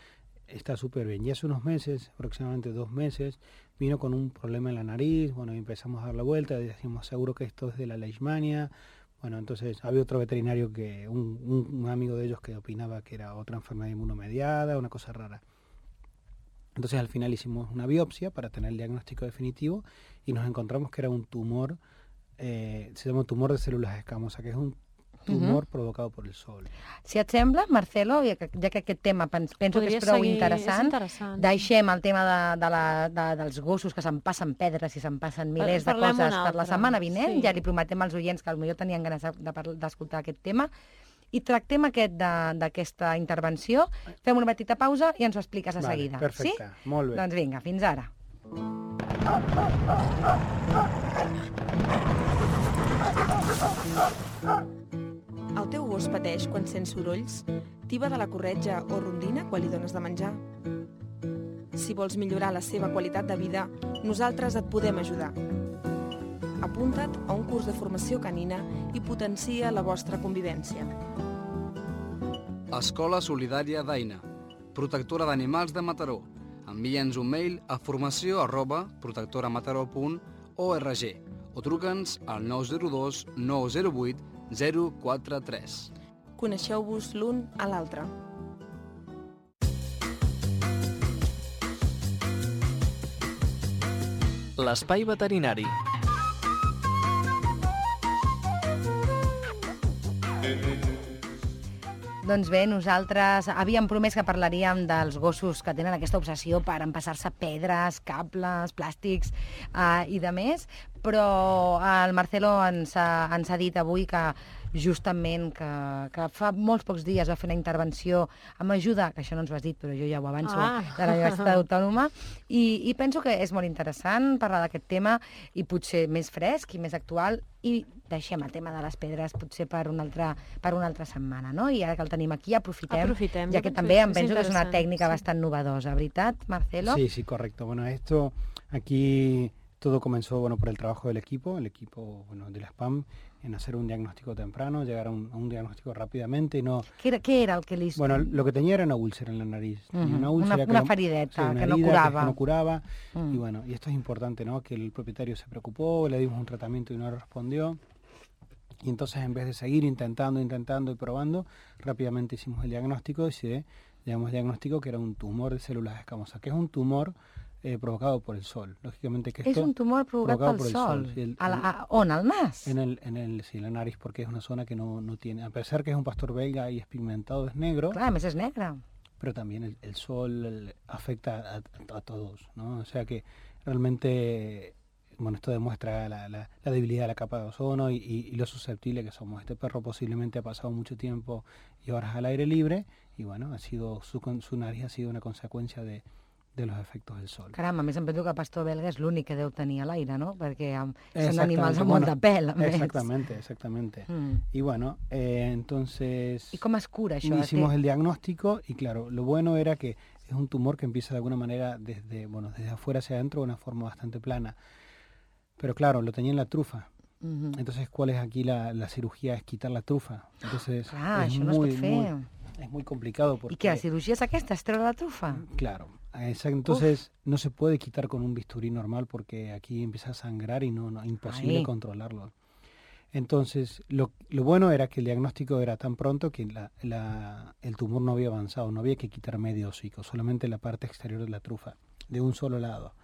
está súper bien. Y hace unos meses, aproximadamente dos meses, vino con un problema en la nariz, bueno, y empezamos a dar la vuelta, y decimos, seguro que esto es de la leishmania. Bueno, entonces había otro veterinario, que un, un- un amigo de ellos que opinaba que era otra enfermedad inmunomediada, una cosa rara. Entonces al final hicimos una biopsia para tener el diagnóstico definitivo y nos encontramos que era un tumor, eh, se llama tumor de células escamosas, que es un tumor uh-huh. provocado por el sol.
Si et sembla, Marcelo, ja que, ja que aquest tema penso Podria que és prou seguir... interessant, és interessant, deixem el tema de, de la, de, dels gossos que se'n passen pedres i se'n passen milers de coses per la setmana vinent. Sí. Ja li prometem als oients que potser tenien ganes d'escoltar aquest tema. I tractem aquest d'aquesta intervenció, fem una petita pausa i ens ho expliques a vale, seguida.
Perfecte, sí? Molt bé.
Doncs vinga, fins ara.
El teu gos pateix quan sents sorolls? Tiba de la corretja o rondina quan li dones de menjar? Si vols millorar la seva qualitat de vida, nosaltres et podem ajudar. Apunta't a un curs de formació canina i potencia la vostra convivència.
Escola Solidària d'Aina, protectora d'animals de Mataró. Envia'ns un mail a formació arroba protectoramataró punt org o truca'ns al nou zero dos nou zero vuit zero quatre tres.
Coneixeu-vos l'un a l'altre.
L'espai veterinari.
Doncs bé, nosaltres havíem promès que parlaríem dels gossos que tenen aquesta obsessió per empassar-se pedres, cables, plàstics eh, i de més, però el Marcelo ens ha, ens ha dit avui que justament que, que fa molts pocs dies va fer una intervenció amb ajuda, que això no ens ho has dit, però jo ja ho avanço, ah. de la Universitat Autònoma, i, i penso que és molt interessant parlar d'aquest tema i potser més fresc i més actual, i deixem el tema de les pedres potser per una altra, per una altra setmana, no? I ara que el tenim aquí, aprofitem,
aprofitem
ja que també em penso que és una tècnica sí. bastant novedosa, ¿veritat, Marcelo?
Sí, sí, correcto. Bueno, esto aquí todo comenzó bueno, por el trabajo del equipo, el equipo bueno, de la S P A M, en hacer un diagnóstico temprano, llegar a un, a un diagnóstico rápidamente y no...
¿Qué era, ¿Qué era el que le hizo?
Bueno, lo que tenía era una úlcera en la nariz.
Uh -huh.
Una
úlcera, una,
que
una
no,
farideta,
sí, una
que,
herida,
no curaba.
que no curaba.
Uh-huh.
Y bueno, y esto es importante, ¿no? Que el propietario se preocupó, le dimos un tratamiento y no respondió. Y entonces en vez de seguir intentando, intentando y probando, rápidamente hicimos el diagnóstico y se llegamos al diagnóstico que era un tumor de células escamosas, que es un tumor eh, provocado por el sol. Lógicamente que esto
es un tumor provocado, provocado por el sol. sol. Sí, el, a la, a, ¿On al nas?
En el, en el, sí, la nariz, porque es una zona que no, no tiene, a pesar que es un pastor belga y es pigmentado, es negro.
Claro, es negra.
Pero también el, el sol el, afecta a, a, a todos, ¿no? O sea que realmente... Bueno, esto demuestra la, la, la debilidad de la capa de ozono y, y, y lo susceptible que somos. Este perro posiblemente ha pasado mucho tiempo y horas al aire libre y bueno, ha sido su, su nariz ha sido una consecuencia de, de los efectos del sol.
Caram, a més em penso que el pastor belga és l'únic que deu tenir a l'aire, no? Perquè um, són animals amb molt de pèl, a més.
Exactamente, exactamente. Mm. Y bueno, eh, entonces...
¿Y cómo es cura això?
Hicimos el diagnóstico y claro, lo bueno era que es un tumor que empieza de alguna manera desde, bueno, desde afuera hacia adentro de una forma bastante plana. Pero claro, lo tenía en la trufa. Uh-huh. Entonces, ¿cuál es aquí la, la cirugía? Es quitar la trufa. Entonces,
ah,
es,
no
muy,
es,
muy, es muy complicado. Porque,
¿y qué? ¿La cirugía es aquesta? ¿Es treure la trufa?
Claro. Entonces, Uf. no se puede quitar con un bisturí normal porque aquí empieza a sangrar y no, no imposible Ay. controlarlo. Entonces, lo, lo bueno era que el diagnóstico era tan pronto que la, la, el tumor no había avanzado. No había que quitar medio hocico, solamente la parte exterior de la trufa, de un solo lado.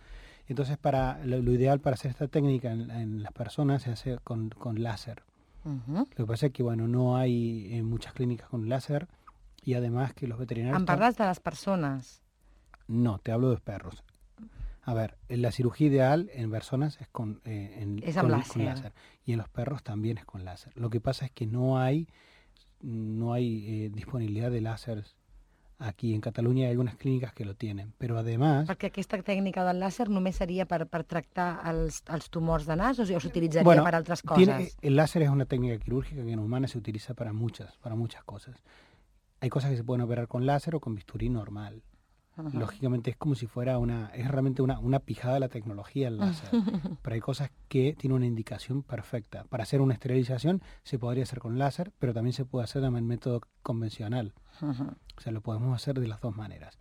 Entonces, para lo, lo ideal para hacer esta técnica en, en las personas se hace con, con láser. Uh-huh. Lo que pasa es que, bueno, no hay en muchas clínicas con láser y además que los veterinarios...
¿En parlas de las personas?
No, te hablo de perros. A ver, la cirugía ideal en personas es con, eh, en,
es
con,
láser.
con láser y en los perros también es con láser. Lo que pasa es que no hay, no hay eh, disponibilidad de láseres. Aquí en Catalunya hay algunas clínicas que lo tienen, però además...
Perquè aquesta tècnica del làser només seria per, per tractar els, els tumors de nas o s'utilitzaria
bueno,
para otras cosas?
Tiene, el láser es una técnica quirúrgica que en humanas se utiliza para muchas, para muchas cosas. Hay cosas que se pueden operar con láser o con bisturí normal. Uh-huh. Lógicamente es como si fuera una, es realmente una, una pijada de la tecnología el láser, pero hay cosas que tienen una indicación perfecta. Para hacer una esterilización se podría hacer con láser, pero también se puede hacer en el método convencional. Uh-huh. O sea, lo podemos hacer de las dos maneras.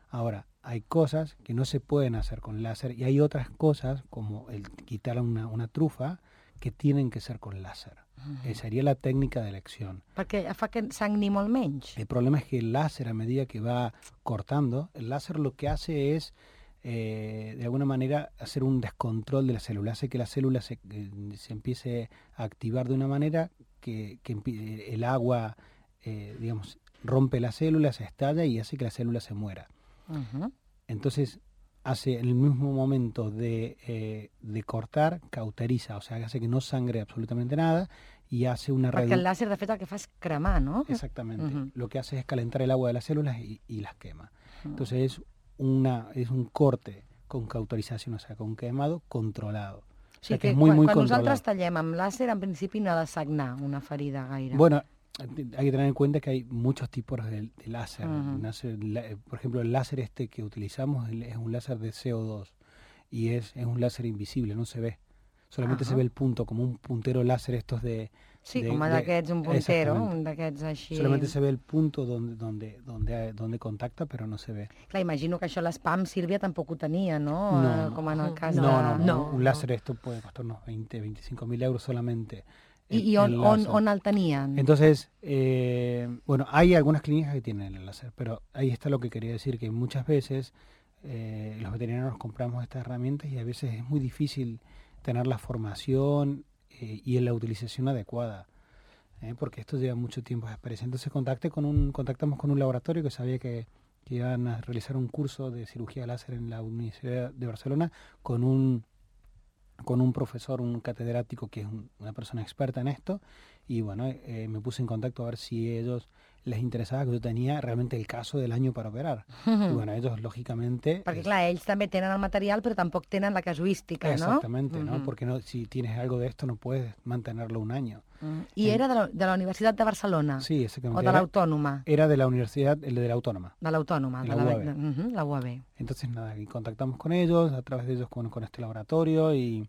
Ahora, hay cosas que no se pueden hacer con láser y hay otras cosas, como el quitar una, una trufa, que tienen que ser con láser. Uh-huh. Eh, sería la técnica de elección.
Perquè fa que sangri molt menys.
El problema es que el láser, a medida que va cortando, el láser lo que hace es, eh, de alguna manera, hacer un descontrol de la célula. Hace que la célula se, eh, se empiece a activar de una manera que, que el agua, eh, digamos, rompe las células, se estalla y hace que la célula se muera. Uh-huh. Entonces, hace en el mismo momento de, eh, de cortar, cauteriza, o sea, hace que no sangre absolutamente nada y hace una reducción.
Perquè el láser, de fet, el que fa és cremar, ¿no?
Exactamente.
Uh-huh.
Lo que hace es calentar el agua de las células y, y las quema. Uh-huh. Entonces, es, una, es un corte con cauterización, o sea, con quemado controlado. O sea,
sí,
que,
que
es muy,
quan,
muy
quan
controlado.
nosaltres tallem amb làser, en principi no ha de sagnar una ferida gaire.
Bueno, hay que tener en cuenta que hay muchos tipos de, de láser.
Uh-huh.
láser la, por ejemplo, el láser este que utilizamos es un láser de C O dos y es, es un láser invisible, no se ve. Solamente uh-huh. se ve el punto, como un puntero láser estos de...
Sí,
de,
com d'aquests, un puntero, un d'aquests així...
Solamente se ve el punto donde, donde, donde, donde contacta, pero no se ve.
Clar, imagino que això l'Spam, Sílvia, tampoc ho tenia, no?
No,
com en el cas
no,
de...
no, no,
no,
un láser esto puede costar unos veinte, veinticinco mil euros solamente.
I, i on, on, on el tenien?
Entonces, eh, bueno, hay algunas clínicas que tienen el láser, pero ahí está lo que quería decir, que muchas veces eh, los veterinarios compramos estas herramientas y a veces es muy difícil tener la formación eh, y la utilización adecuada, eh, porque esto lleva mucho tiempo de experiencia. Entonces contacté con un, contactamos con un laboratorio que sabía que, que iban a realizar un curso de cirugía láser en la Universidad de Barcelona con un con un profesor, un catedrático que es un, una persona experta en esto, y bueno, eh, me puse en contacto a ver si a ellos les interesaba, que yo tenía realmente el caso del año para operar. Uh-huh. Y bueno, ellos lògicamente...
Perquè clar, ells també tenen el material, però tampoc tenen la casuística,
exactamente,
¿no?
¿no? Uh-huh. Porque no, si tienes algo de esto no puedes mantenerlo un año.
Uh-huh. ¿Y eh, era de la, de la Universitat de Barcelona?
Sí, exactamente.
¿O de l'Autònoma?
Era de la Universidad, el de la Autónoma.
De l'Autònoma, de,
de la U A B.
De, uh-huh, la U A B.
Entonces nada, y contactamos con ellos, a través de ellos con, con este laboratorio y...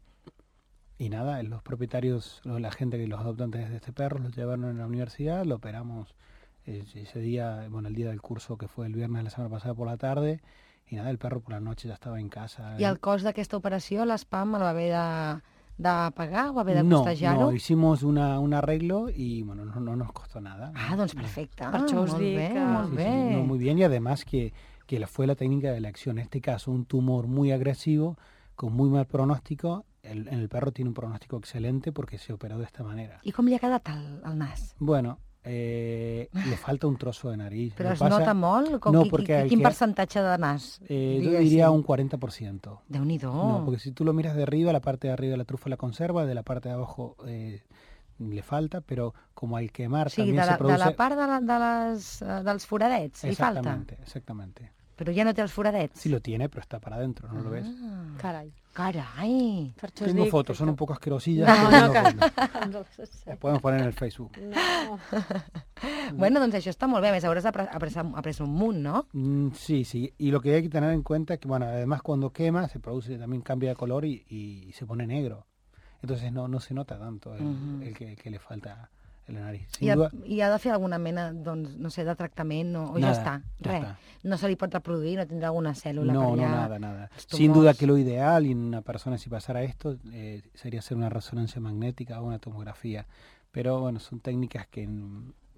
Y nada, los propietarios, la gente que los adoptantes de este perro los llevaron a la universidad, lo operamos ese día, bueno, el día del curso que fue el viernes de la semana pasada por la tarde, y nada, el perro por la noche ya estaba en casa.
I el cost d'aquesta operació, l'Spam el va haver de, de pagar o va haver de
no,
costejar-ho?
No, hicimos una, un arreglo y bueno, no, no nos costó nada.
Ah, doncs perfecte.
Per això us
molt
dic
bé,
que...
molt
sí,
bé.
Sí, no, muy bien, y además que, que fue la técnica de elección. En este caso, un tumor muy agresivo, con muy mal pronóstico. El, el perro tiene un pronóstico excelente porque se operó de esta manera.
I com li ha quedat el, el nas?
Bueno, eh, le falta un trozo de nariz.
Però
Lo
es
pasa,
nota molt? Com,
no,
qui,
porque
qui, quin
que,
percentatge de nas?
Eh, yo diría un cuarenta por ciento.
Déu-n'hi-do.
No, porque si tú lo miras de arriba, la parte de arriba de la trufa la conserva, de la parte de abajo eh, le falta, pero como al quemar
o sigui,
también
de la,
se produce...
de la part de, la, de les, dels foradets li falta?
Exactamente, exactamente.
Però ja no té els foradets?
Sí lo tiene, pero está para adentro, ¿no ah, lo ves?
Carai.
Carai.
Tengo dic, fotos, son un poco asquerosillas.
No,
no,
no,
no, las podemos poner en el Facebook.
No.
Bueno, doncs això està molt bé. A més, hauràs après un munt, ¿no?
Mm, sí, sí. Y lo que hay que tener en cuenta es que, bueno, además cuando quema se produce, también cambia de color y, y se pone negro. Entonces no, no se nota tanto el, uh-huh. el que, que le falta en la nariz. Sin
I, ha,
duda...
I ha de fer alguna mena, doncs, no sé, de tractament o, o
nada,
ja està?
ja
Res.
Està.
No se li pot reproduir, no tindrà alguna cèl·lula
no,
per allà?
No, nada, nada. Sin duda que lo ideal en una persona si pasara esto eh, sería hacer una resonancia magnética o una tomografía. Pero bueno, son técnicas que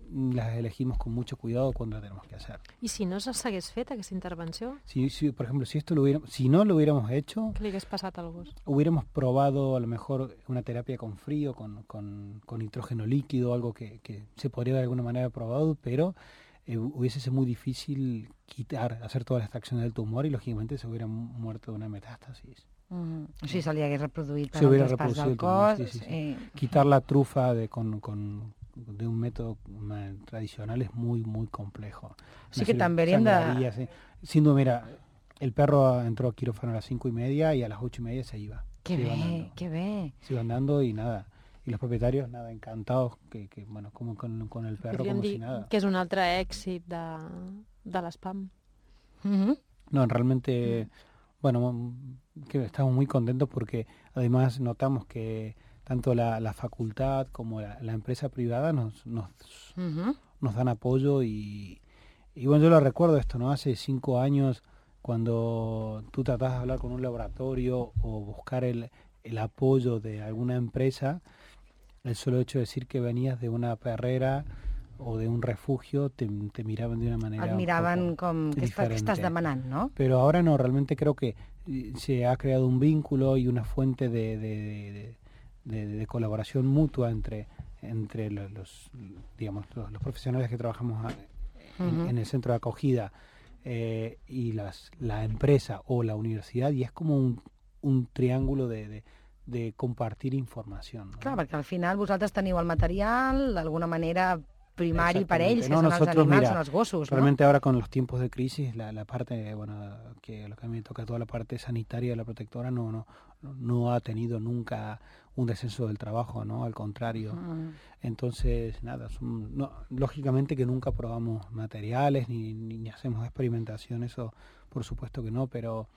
las elegimos con mucho cuidado cuando la tenemos que hacer.
I si no s'hagués fet aquesta intervenció?
Si, si, por ejemplo, si esto lo hubiéramos, si no lo hubiéramos hecho,
¿qué le hagués passat al gos?
Hubiéramos probado a lo mejor una terapia con frío, con, con, con nitrógeno líquido, algo que, que se podría de alguna manera probado, pero eh, hubiese sido muy difícil quitar, hacer toda la extracción del tumor y lógicamente se hubiera muerto de una metástasis.
Mm. O sigui, se li hagués reproduït per
se hubiera
altres parts del
tumor,
cos.
Sí, sí, sí.
Eh...
Quitar la trufa de, con, con, de un método tradicional es muy, muy complejo.
Sí que també hauríem de...
Sí. Sin duda, mira, el perro entró a quirófano a las cinco y media y a las ocho y media se iba.
Qué
se iba
bé,
andando.
qué bé.
Se iba andando y nada. Y los propietarios, nada, encantados, que, que bueno, como con, con el perro,
Podríem
como
dir
si nada.
Que és un altre èxit de, de l'Spam.
Mm-hmm.
No, realmente, mm. bueno, que estamos muy contentos porque además notamos que tanto la, la facultad como la, la empresa privada nos, nos, uh-huh. nos dan apoyo y, y bueno, yo lo recuerdo esto, ¿no? Hace cinco años cuando tú tratas de hablar con un laboratorio o buscar el, el apoyo de alguna empresa, el solo hecho de decir que venías de una perrera o de un refugio te, te miraban de una manera
Et miraven com que
diferente.
estàs demanant, ¿no?
Pero ahora no, realmente creo que se ha creado un vínculo y una fuente de, de, de, de, de colaboración mutua entre, entre los, los, digamos, los, los profesionales que trabajamos a, en,
Uh-huh.
en el centro de acogida eh, y las, la empresa o la universidad, y es como un, un triángulo de, de, de compartir información, ¿no?
Clar, perquè al final vosaltres teniu el material, d'alguna manera primari per ells, que
No,
són els
nosotros,
animals,
mira,
són els gossos,
realmente ahora con los tiempos de crisis, la, la parte, bueno, que lo que a mí me toca toda la parte sanitaria de la protectora no, no, no ha tenido nunca un descenso del trabajo, ¿no? Al contrario.
no?
Entonces, nada, son, no, lógicamente que nunca probamos materiales ni, ni, ni hacemos experimentación, eso por supuesto que no, pero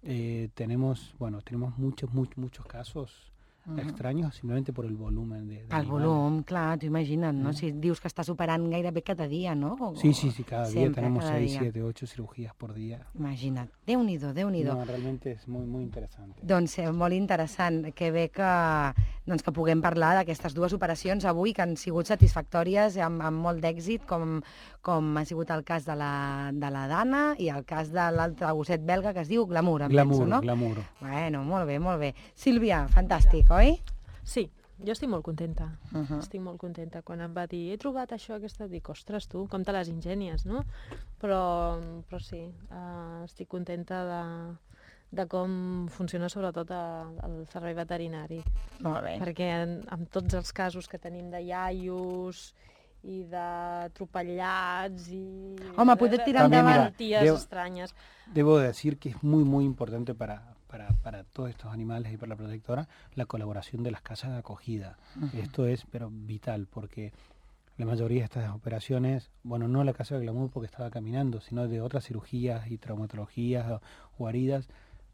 eh, tenemos, bueno, tenemos muchos, muchos, muchos casos
Uh-huh.
extraños simplemente por el volumen de, de
El
animales.
volum, clar, t'ho imagina't, no?
Mm.
Si dius que estàs operant gairebé cada dia, no? O-
Sí, sí, sí, cada día
Siempre,
tenemos
cada
seis,
día.
siete, ocho cirugías por día.
Imagina't. Déu-n'hi-do, Déu-n'hi-do.
No, realmente es muy, muy interesante.
Doncs eh, molt interessant, que bé que, doncs, que puguem parlar d'aquestes dues operacions avui que han sigut satisfactòries i amb, amb molt d'èxit, com, com ha sigut el cas de la, de la Dana i el cas de l'altre gosset belga que es diu Glamour, em
Glamour,
penso, no?
glamour.
Bueno, molt bé, molt bé. Sílvia, fantàstic, oi?
Sí, jo estic molt contenta.
Uh -huh.
Estic molt contenta. Quan em va dir, he trobat això, aquesta, dic, ostres, tu, com te les ingenies, no? Però, però sí, uh, estic contenta de, de com funciona sobretot el, el servei veterinari.
Molt bé.
Perquè en, amb tots els casos que tenim de iaios i d'atropellats i...
Home, poder tirar
També,
endavant.
mira,
malalties
deu-
estranyes.
Debo decir que es muy, muy importante para, para, para todos estos animales y para la protectora la colaboración de las casas de acogida.
Uh-huh.
Esto es, pero vital, porque la mayoría de estas operaciones, bueno, no la casa de Glamour porque estaba caminando, sino de otras cirugías y traumatologías o, o heridas,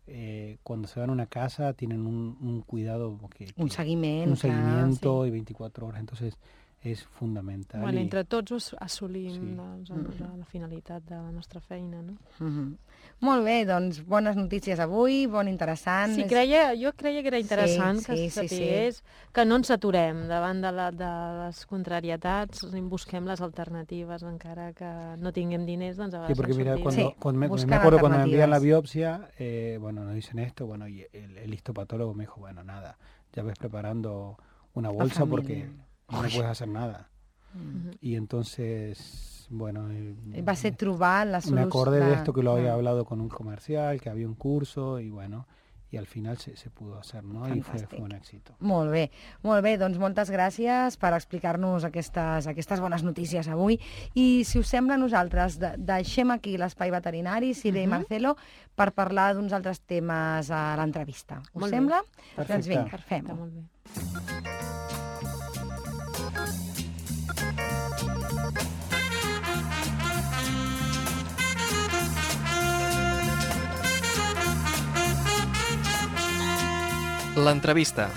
eh, cuando se van a una casa tienen un, un cuidado, que,
Un
que-
seguiment,
un
clar,
seguimiento y veinticuatro horas, entonces es fundamental.
Bueno,
y-
entre tots us- assolim
Sí.
doncs, la, la finalitat de la nostra feina, no?
Uh -huh. Molt bé, doncs bones notícies avui, bon interessant.
Sí,
És-
creia, jo creia que era interessant
Sí,
que
sí,
se
sí, sí.
sapigués que no ens aturem davant de, la, de les contrarietats i busquem les alternatives, encara que no tinguem diners, doncs a
Sí,
vegades
porque
ens
mira,
sortim.
cuando,
Sí,
cuando me,
buscan
me acuerdo cuando me envían la
alternativas.
biopsia, eh, bueno, nos dicen esto, bueno, y el, el histopatólogo me dijo, bueno, nada, ya ves preparando una bolsa
familia.
porque no puedes hacer nada.
Ujú.
Y entonces, bueno, eh,
Va ser trobar la
me
solució.
acordé de esto que lo había
Ah,
hablado con un comercial, que había un curso y bueno, y al final se, se pudo hacer, ¿no? Y fue,
Fantàstic.
fue un éxito.
Molt bé, molt bé, doncs moltes gràcies per explicar-nos aquestes, aquestes bones notícies avui. I si us sembla, nosaltres de, deixem aquí l'espai veterinari, Sílvia i
Mhm.
Marcelo, per parlar d'uns altres temes a l'entrevista. Us
Molt bé.
sembla?
Perfecte.
Doncs vinga,
Perfecte,
fem-ho.
molt bé.
L'entrevista.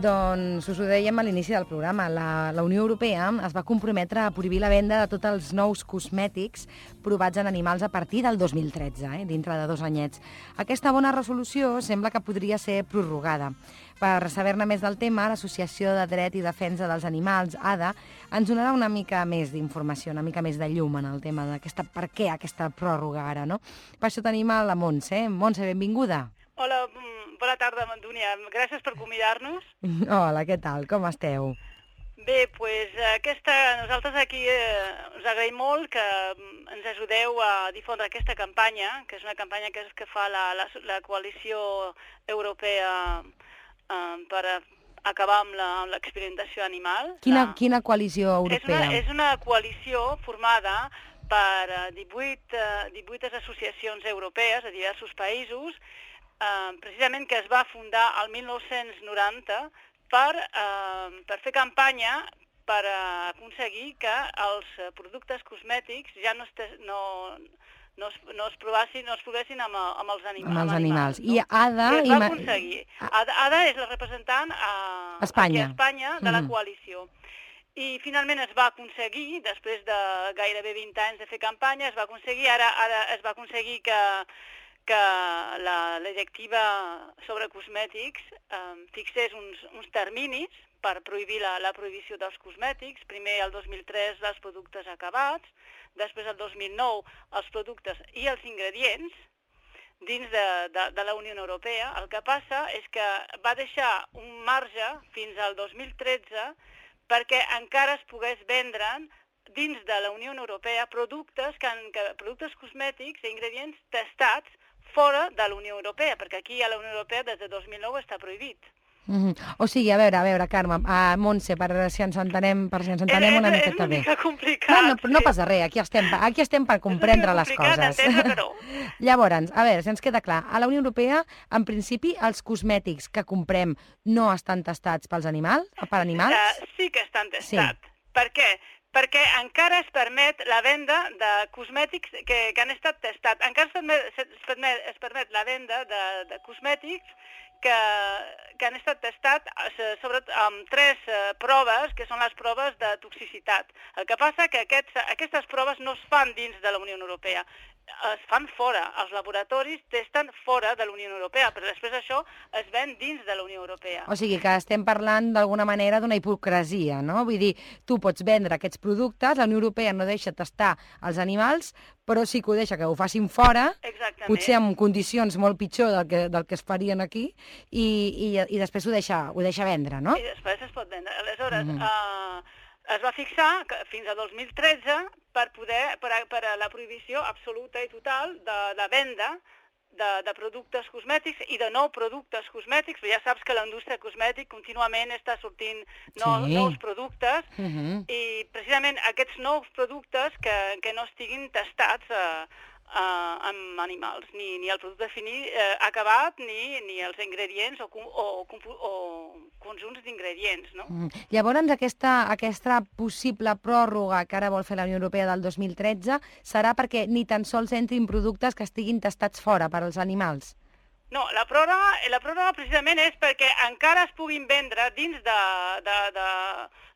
Doncs us ho dèiem a l'inici del programa. La, la Unió Europea es va comprometre a prohibir la venda de tots els nous cosmètics provats en animals a partir del dos mil tretze, eh, dintre de dos anyets. Aquesta bona resolució sembla que podria ser prorrogada. Per saber-ne més del tema, l'Associació de Dret i Defensa dels Animals, A D A, ens donarà una mica més d'informació, una mica més de llum en el tema d'aquesta, per què aquesta pròrroga ara, no? Per això tenim a la Montse. Montse, benvinguda.
Hola, mm, bona tarda, Mandúnia. Gràcies per convidar-nos.
Hola, què tal? Com esteu?
Bé, doncs aquesta, nosaltres aquí eh, us agraïm molt que mm, ens ajudeu a difondre aquesta campanya, que és una campanya que, és, que fa la, la, la coalició europea eh, per a acabar amb la- amb l'experimentació animal.
Quina,
La-
quina coalició
És
europea?
una, és una coalició formada per eh, divuit, eh, divuit associacions europees de diversos països, eh, precisament que es va fundar al mil nou-cents noranta per, eh, per fer campanya per eh, aconseguir que els eh, productes cosmètics ja no, este, no, no, es, no es provessin, no es provessin amb, amb els animals.
Amb els animals.
no?
I A D A...
I es
i
va
ma-
aconseguir. Ada, Ada és la representant a,
Espanya.
aquí a Espanya de la
Mhm.
coalició. I finalment es va aconseguir, després de gairebé vint anys de fer campanya, es va aconseguir, ara, ara es va aconseguir que, que la, la directiva sobre cosmètics eh, fixés uns, uns terminis per prohibir la, la prohibició dels cosmètics. Primer, el dos mil tres, dels productes acabats, després, el dos mil nou, els productes i els ingredients dins de, de, de la Unió Europea. El que passa és que va deixar un marge fins al dos mil tretze perquè encara es pogués vendre dins de la Unió Europea productes, que, que, productes cosmètics i ingredients testats fora de la Unió Europea, perquè aquí a la Unió Europea des de dos mil nou està prohibit.
Mm -hmm. O sigui, a veure, a veure, Carme, a Montse, per si ens entenem, per si ens entenem
és,
una
és,
miqueta bé.
És una mica complicat.
No, no, no
sí.
passa res, aquí estem, aquí estem per comprendre les coses.
Però...
Llavors, a veure, si ens queda clar, a la Unió Europea, en principi, els cosmètics que comprem no estan testats pels animals, per animals?
Uh, sí que estan testats.
Sí.
Per què? Perquè encara es permet la venda de cosmètics que, que han estat testats. Encara es permet, es permet, es permet la venda de, de cosmètics que, que han estat testats sobretot amb tres eh, proves, que són les proves de toxicitat. El que passa que aquests, aquestes proves no es fan dins de la Unió Europea, es fan fora. Els laboratoris testen fora de la Unió Europea, però després això es ven dins de la Unió Europea.
O sigui que estem parlant d'alguna manera d'una hipocresia, no? Vull dir, tu pots vendre aquests productes, la Unió Europea no deixa testar els animals, però sí que ho deixa que ho facin fora,
Exactament.
Potser en condicions molt pitjor del que, del que es farien aquí, i, i, i després ho deixa, ho deixa vendre, no?
I després es pot vendre. Aleshores,
Mm-hmm.
eh, es va fixar que fins a dos mil tretze per poder per a, per a la prohibició absoluta i total de, de venda de, de productes cosmètics i de nous productes cosmètics, però ja saps que la indústria cosmètica contínuament està sortint no,
Sí.
nous productes
Uh-huh.
i precisament aquests nous productes que, que no estiguin testats eh, eh, amb animals, ni, ni el producte finit eh, acabat, ni, ni els ingredients o, o, o conjunts d'ingredients, no?
Mm. Llavors, aquesta, aquesta possible pròrroga que ara vol fer la Unió Europea del dos mil tretze serà perquè ni tan sols entrin productes que estiguin testats fora per als animals?
No, la pròrroga, la pròrroga precisament és perquè encara es puguin vendre dins de, de, de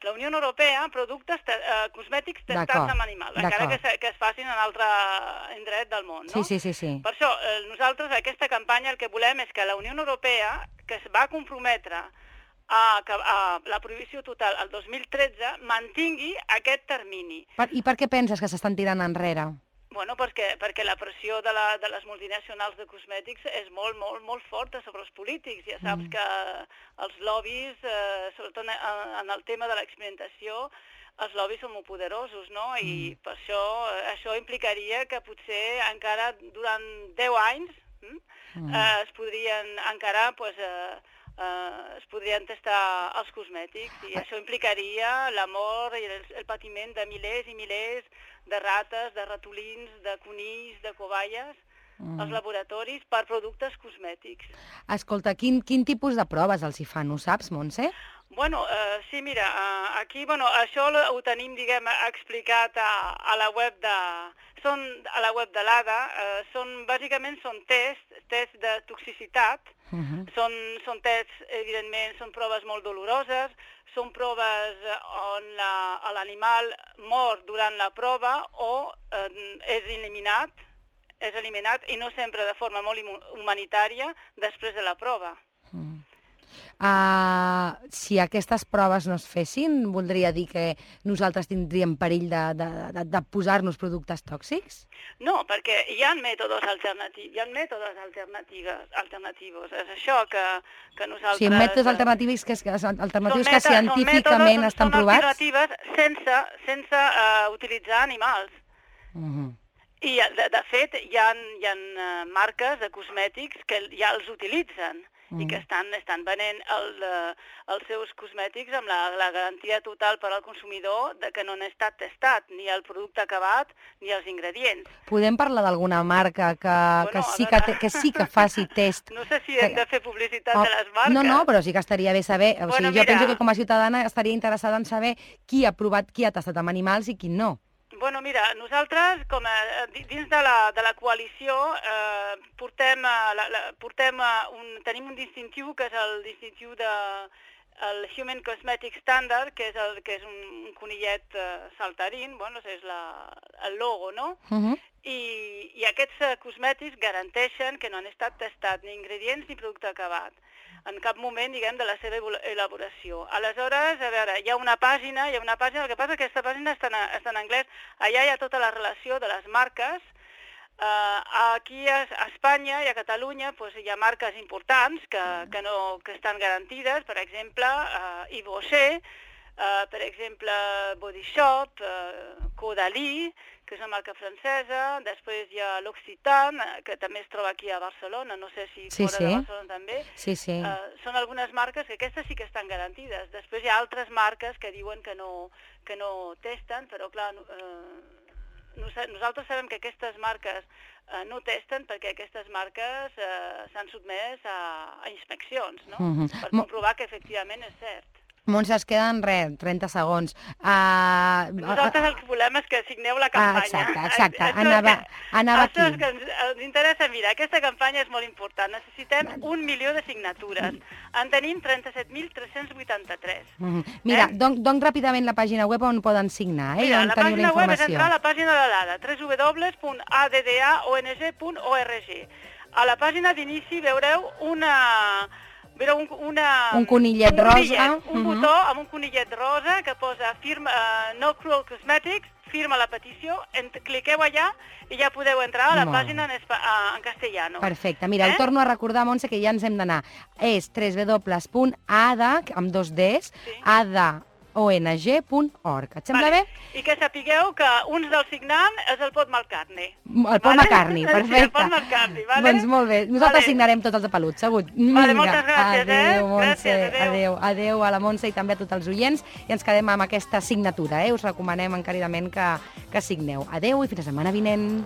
la Unió Europea productes te, eh, cosmètics testats amb animals, encara que, se, que es facin en altre indret del món, no?
Sí, sí, sí, sí.
Per això, eh, nosaltres, aquesta campanya, el que volem és que la Unió Europea, que es va comprometre a, a la prohibició total el dos mil tretze, mantingui aquest termini.
Per, I per què penses que s'estan tirant enrere?
Bueno, perquè, perquè la pressió de, la, de les multinacionals de cosmètics és molt, molt, molt forta sobre els polítics. Ja saps mm. que els lobbies, eh, sobretot en, en el tema de l'experimentació, els lobbies són molt poderosos, no? I mm. per això això implicaria que potser encara durant deu anys hm, mm. eh, es podrien encara pues, eh, eh, es podrien testar els cosmètics i això implicaria la mort i el, el patiment de milers i milers de rates, de ratolins, de conills, de cobayes, mm. als laboratoris per productes cosmètics.
Escolta, quin, quin tipus de proves els hi fan, ho saps, Montse?
Bueno, uh, sí, mira, uh, aquí, bueno, això ho tenim, diguem, explicat a, a la web de... Són a la web de l'A D A, uh, són, bàsicament són tests, tests de toxicitat, uh -huh. són, són tests, evidentment, són proves molt doloroses, són proves on l'animal mor durant la prova o eh, és eliminat, és eliminat i no sempre de forma molt humanitària després de la prova.
Mm. Uh, si aquestes proves no es fessin, voldria dir que nosaltres tindríem perill de, de, de, de posar-nos productes tòxics?
No, perquè hi ha mètodes alternatius, hi ha mètodes alternatives, alternatius. És això que, que nosaltres...
Sí, mètodes alternatius que, que, alternatius que científicament
mètodes,
estan provats?
Són alternatives sense, sense uh, utilitzar animals.
Uh-huh.
I, de, de fet, hi ha, hi ha marques de cosmètics que ja els utilitzen. Mm. i que estan, estan venent el, els seus cosmètics amb la, la garantia total per al consumidor de que no han estat testat, ni el producte acabat ni els ingredients.
Podem parlar d'alguna marca que, bueno, que, sí que, que sí que faci test?
No sé si hem
que...
de fer publicitat
oh,
de les marques.
No, no, però sí que estaria bé saber. O
bueno,
sigui, jo
mira...
penso que com a ciutadana estaria interessada en saber qui ha provat, qui ha tastat amb animals i qui no.
Bueno, mira, nosaltres, com a, dins de la, de la coalició, eh, portem, la, la, portem un, tenim un distintiu, que és el distintiu de el Human Cosmetic Standard, que és, el, que és un, un conillet eh, saltarín, bueno, és la, el logo, no? Uh-huh. i, i aquests uh, cosmètics garanteixen que no han estat testats ni ingredients ni producte acabat en cap moment, diguem, de la seva elaboració. Aleshores, a veure, hi ha una pàgina, hi ha una pàgina, el que passa és que aquesta pàgina està en, està en anglès, allà hi ha tota la relació de les marques. Uh, aquí a, a Espanya i a Catalunya pues, hi ha marques importants que, que, no, que estan garantides, per exemple, uh, Yves Rocher, uh, per exemple, Body Shop, uh, Caudalie, que és una marca francesa, després hi ha l'Occitane, que també es troba aquí a Barcelona, no sé si
sí,
fora
sí.
de Barcelona també.
Sí, sí.
Uh, són algunes marques que aquestes sí que estan garantides. Després hi ha altres marques que diuen que no, que no testen, però clar, uh, nosaltres sabem que aquestes marques uh, no testen perquè aquestes marques uh, s'han sotmès a, a inspeccions, no?
Mm-hmm.
Per comprovar que efectivament és cert.
Montse, es queden res, trenta segons. Uh,
Nosaltres el que volem és que signeu la campanya.
Ah, exacte, exacte. Anava, anava aquí.
Això és que ens, ens interessa, mira, aquesta campanya és molt important. Necessitem un milió de signatures. En tenim trenta-set mil tres-cents vuitanta-tres.
Mm-hmm. Mira, eh? donc, donc ràpidament la pàgina web on poden signar, eh?
Mira,
on
la
teniu
pàgina
la
web és
informació.
entrar a la pàgina de l'A D A, w w w punt a d d a o n g punt org. A la pàgina d'inici veureu una... Veureu un, una,
un conillet
un
rosa.
Conillet, un
uh-huh.
botó amb un conillet rosa que posa firma, uh, No Cruel Cosmetics, firma la petició, en, cliqueu allà i ja podeu entrar a la
Molt.
pàgina en, espa, uh, en castellano.
Perfecte. Mira, eh? el torno a recordar, Montse, que ja ens hem d'anar. És w w w punt a d a, amb dos Ds, sí. a d a o n g punt org. Et sembla
vale.
bé?
I que sapigueu que un dels signants és el Paul McCartney.
El Paul vale? McCartney, perfecte.
Sí, el Paul McCartney, vale?
Doncs molt bé. Nosaltres
vale.
signarem tots els de pelut, segur.
Vale, moltes gràcies,
adéu,
eh?
Montse.
Gràcies, adéu.
Adéu, adéu a la Montse i també a tots els oients. I ens quedem amb aquesta signatura, eh? Us recomanem encaridament que, que signeu. Adéu i fins la setmana vinent.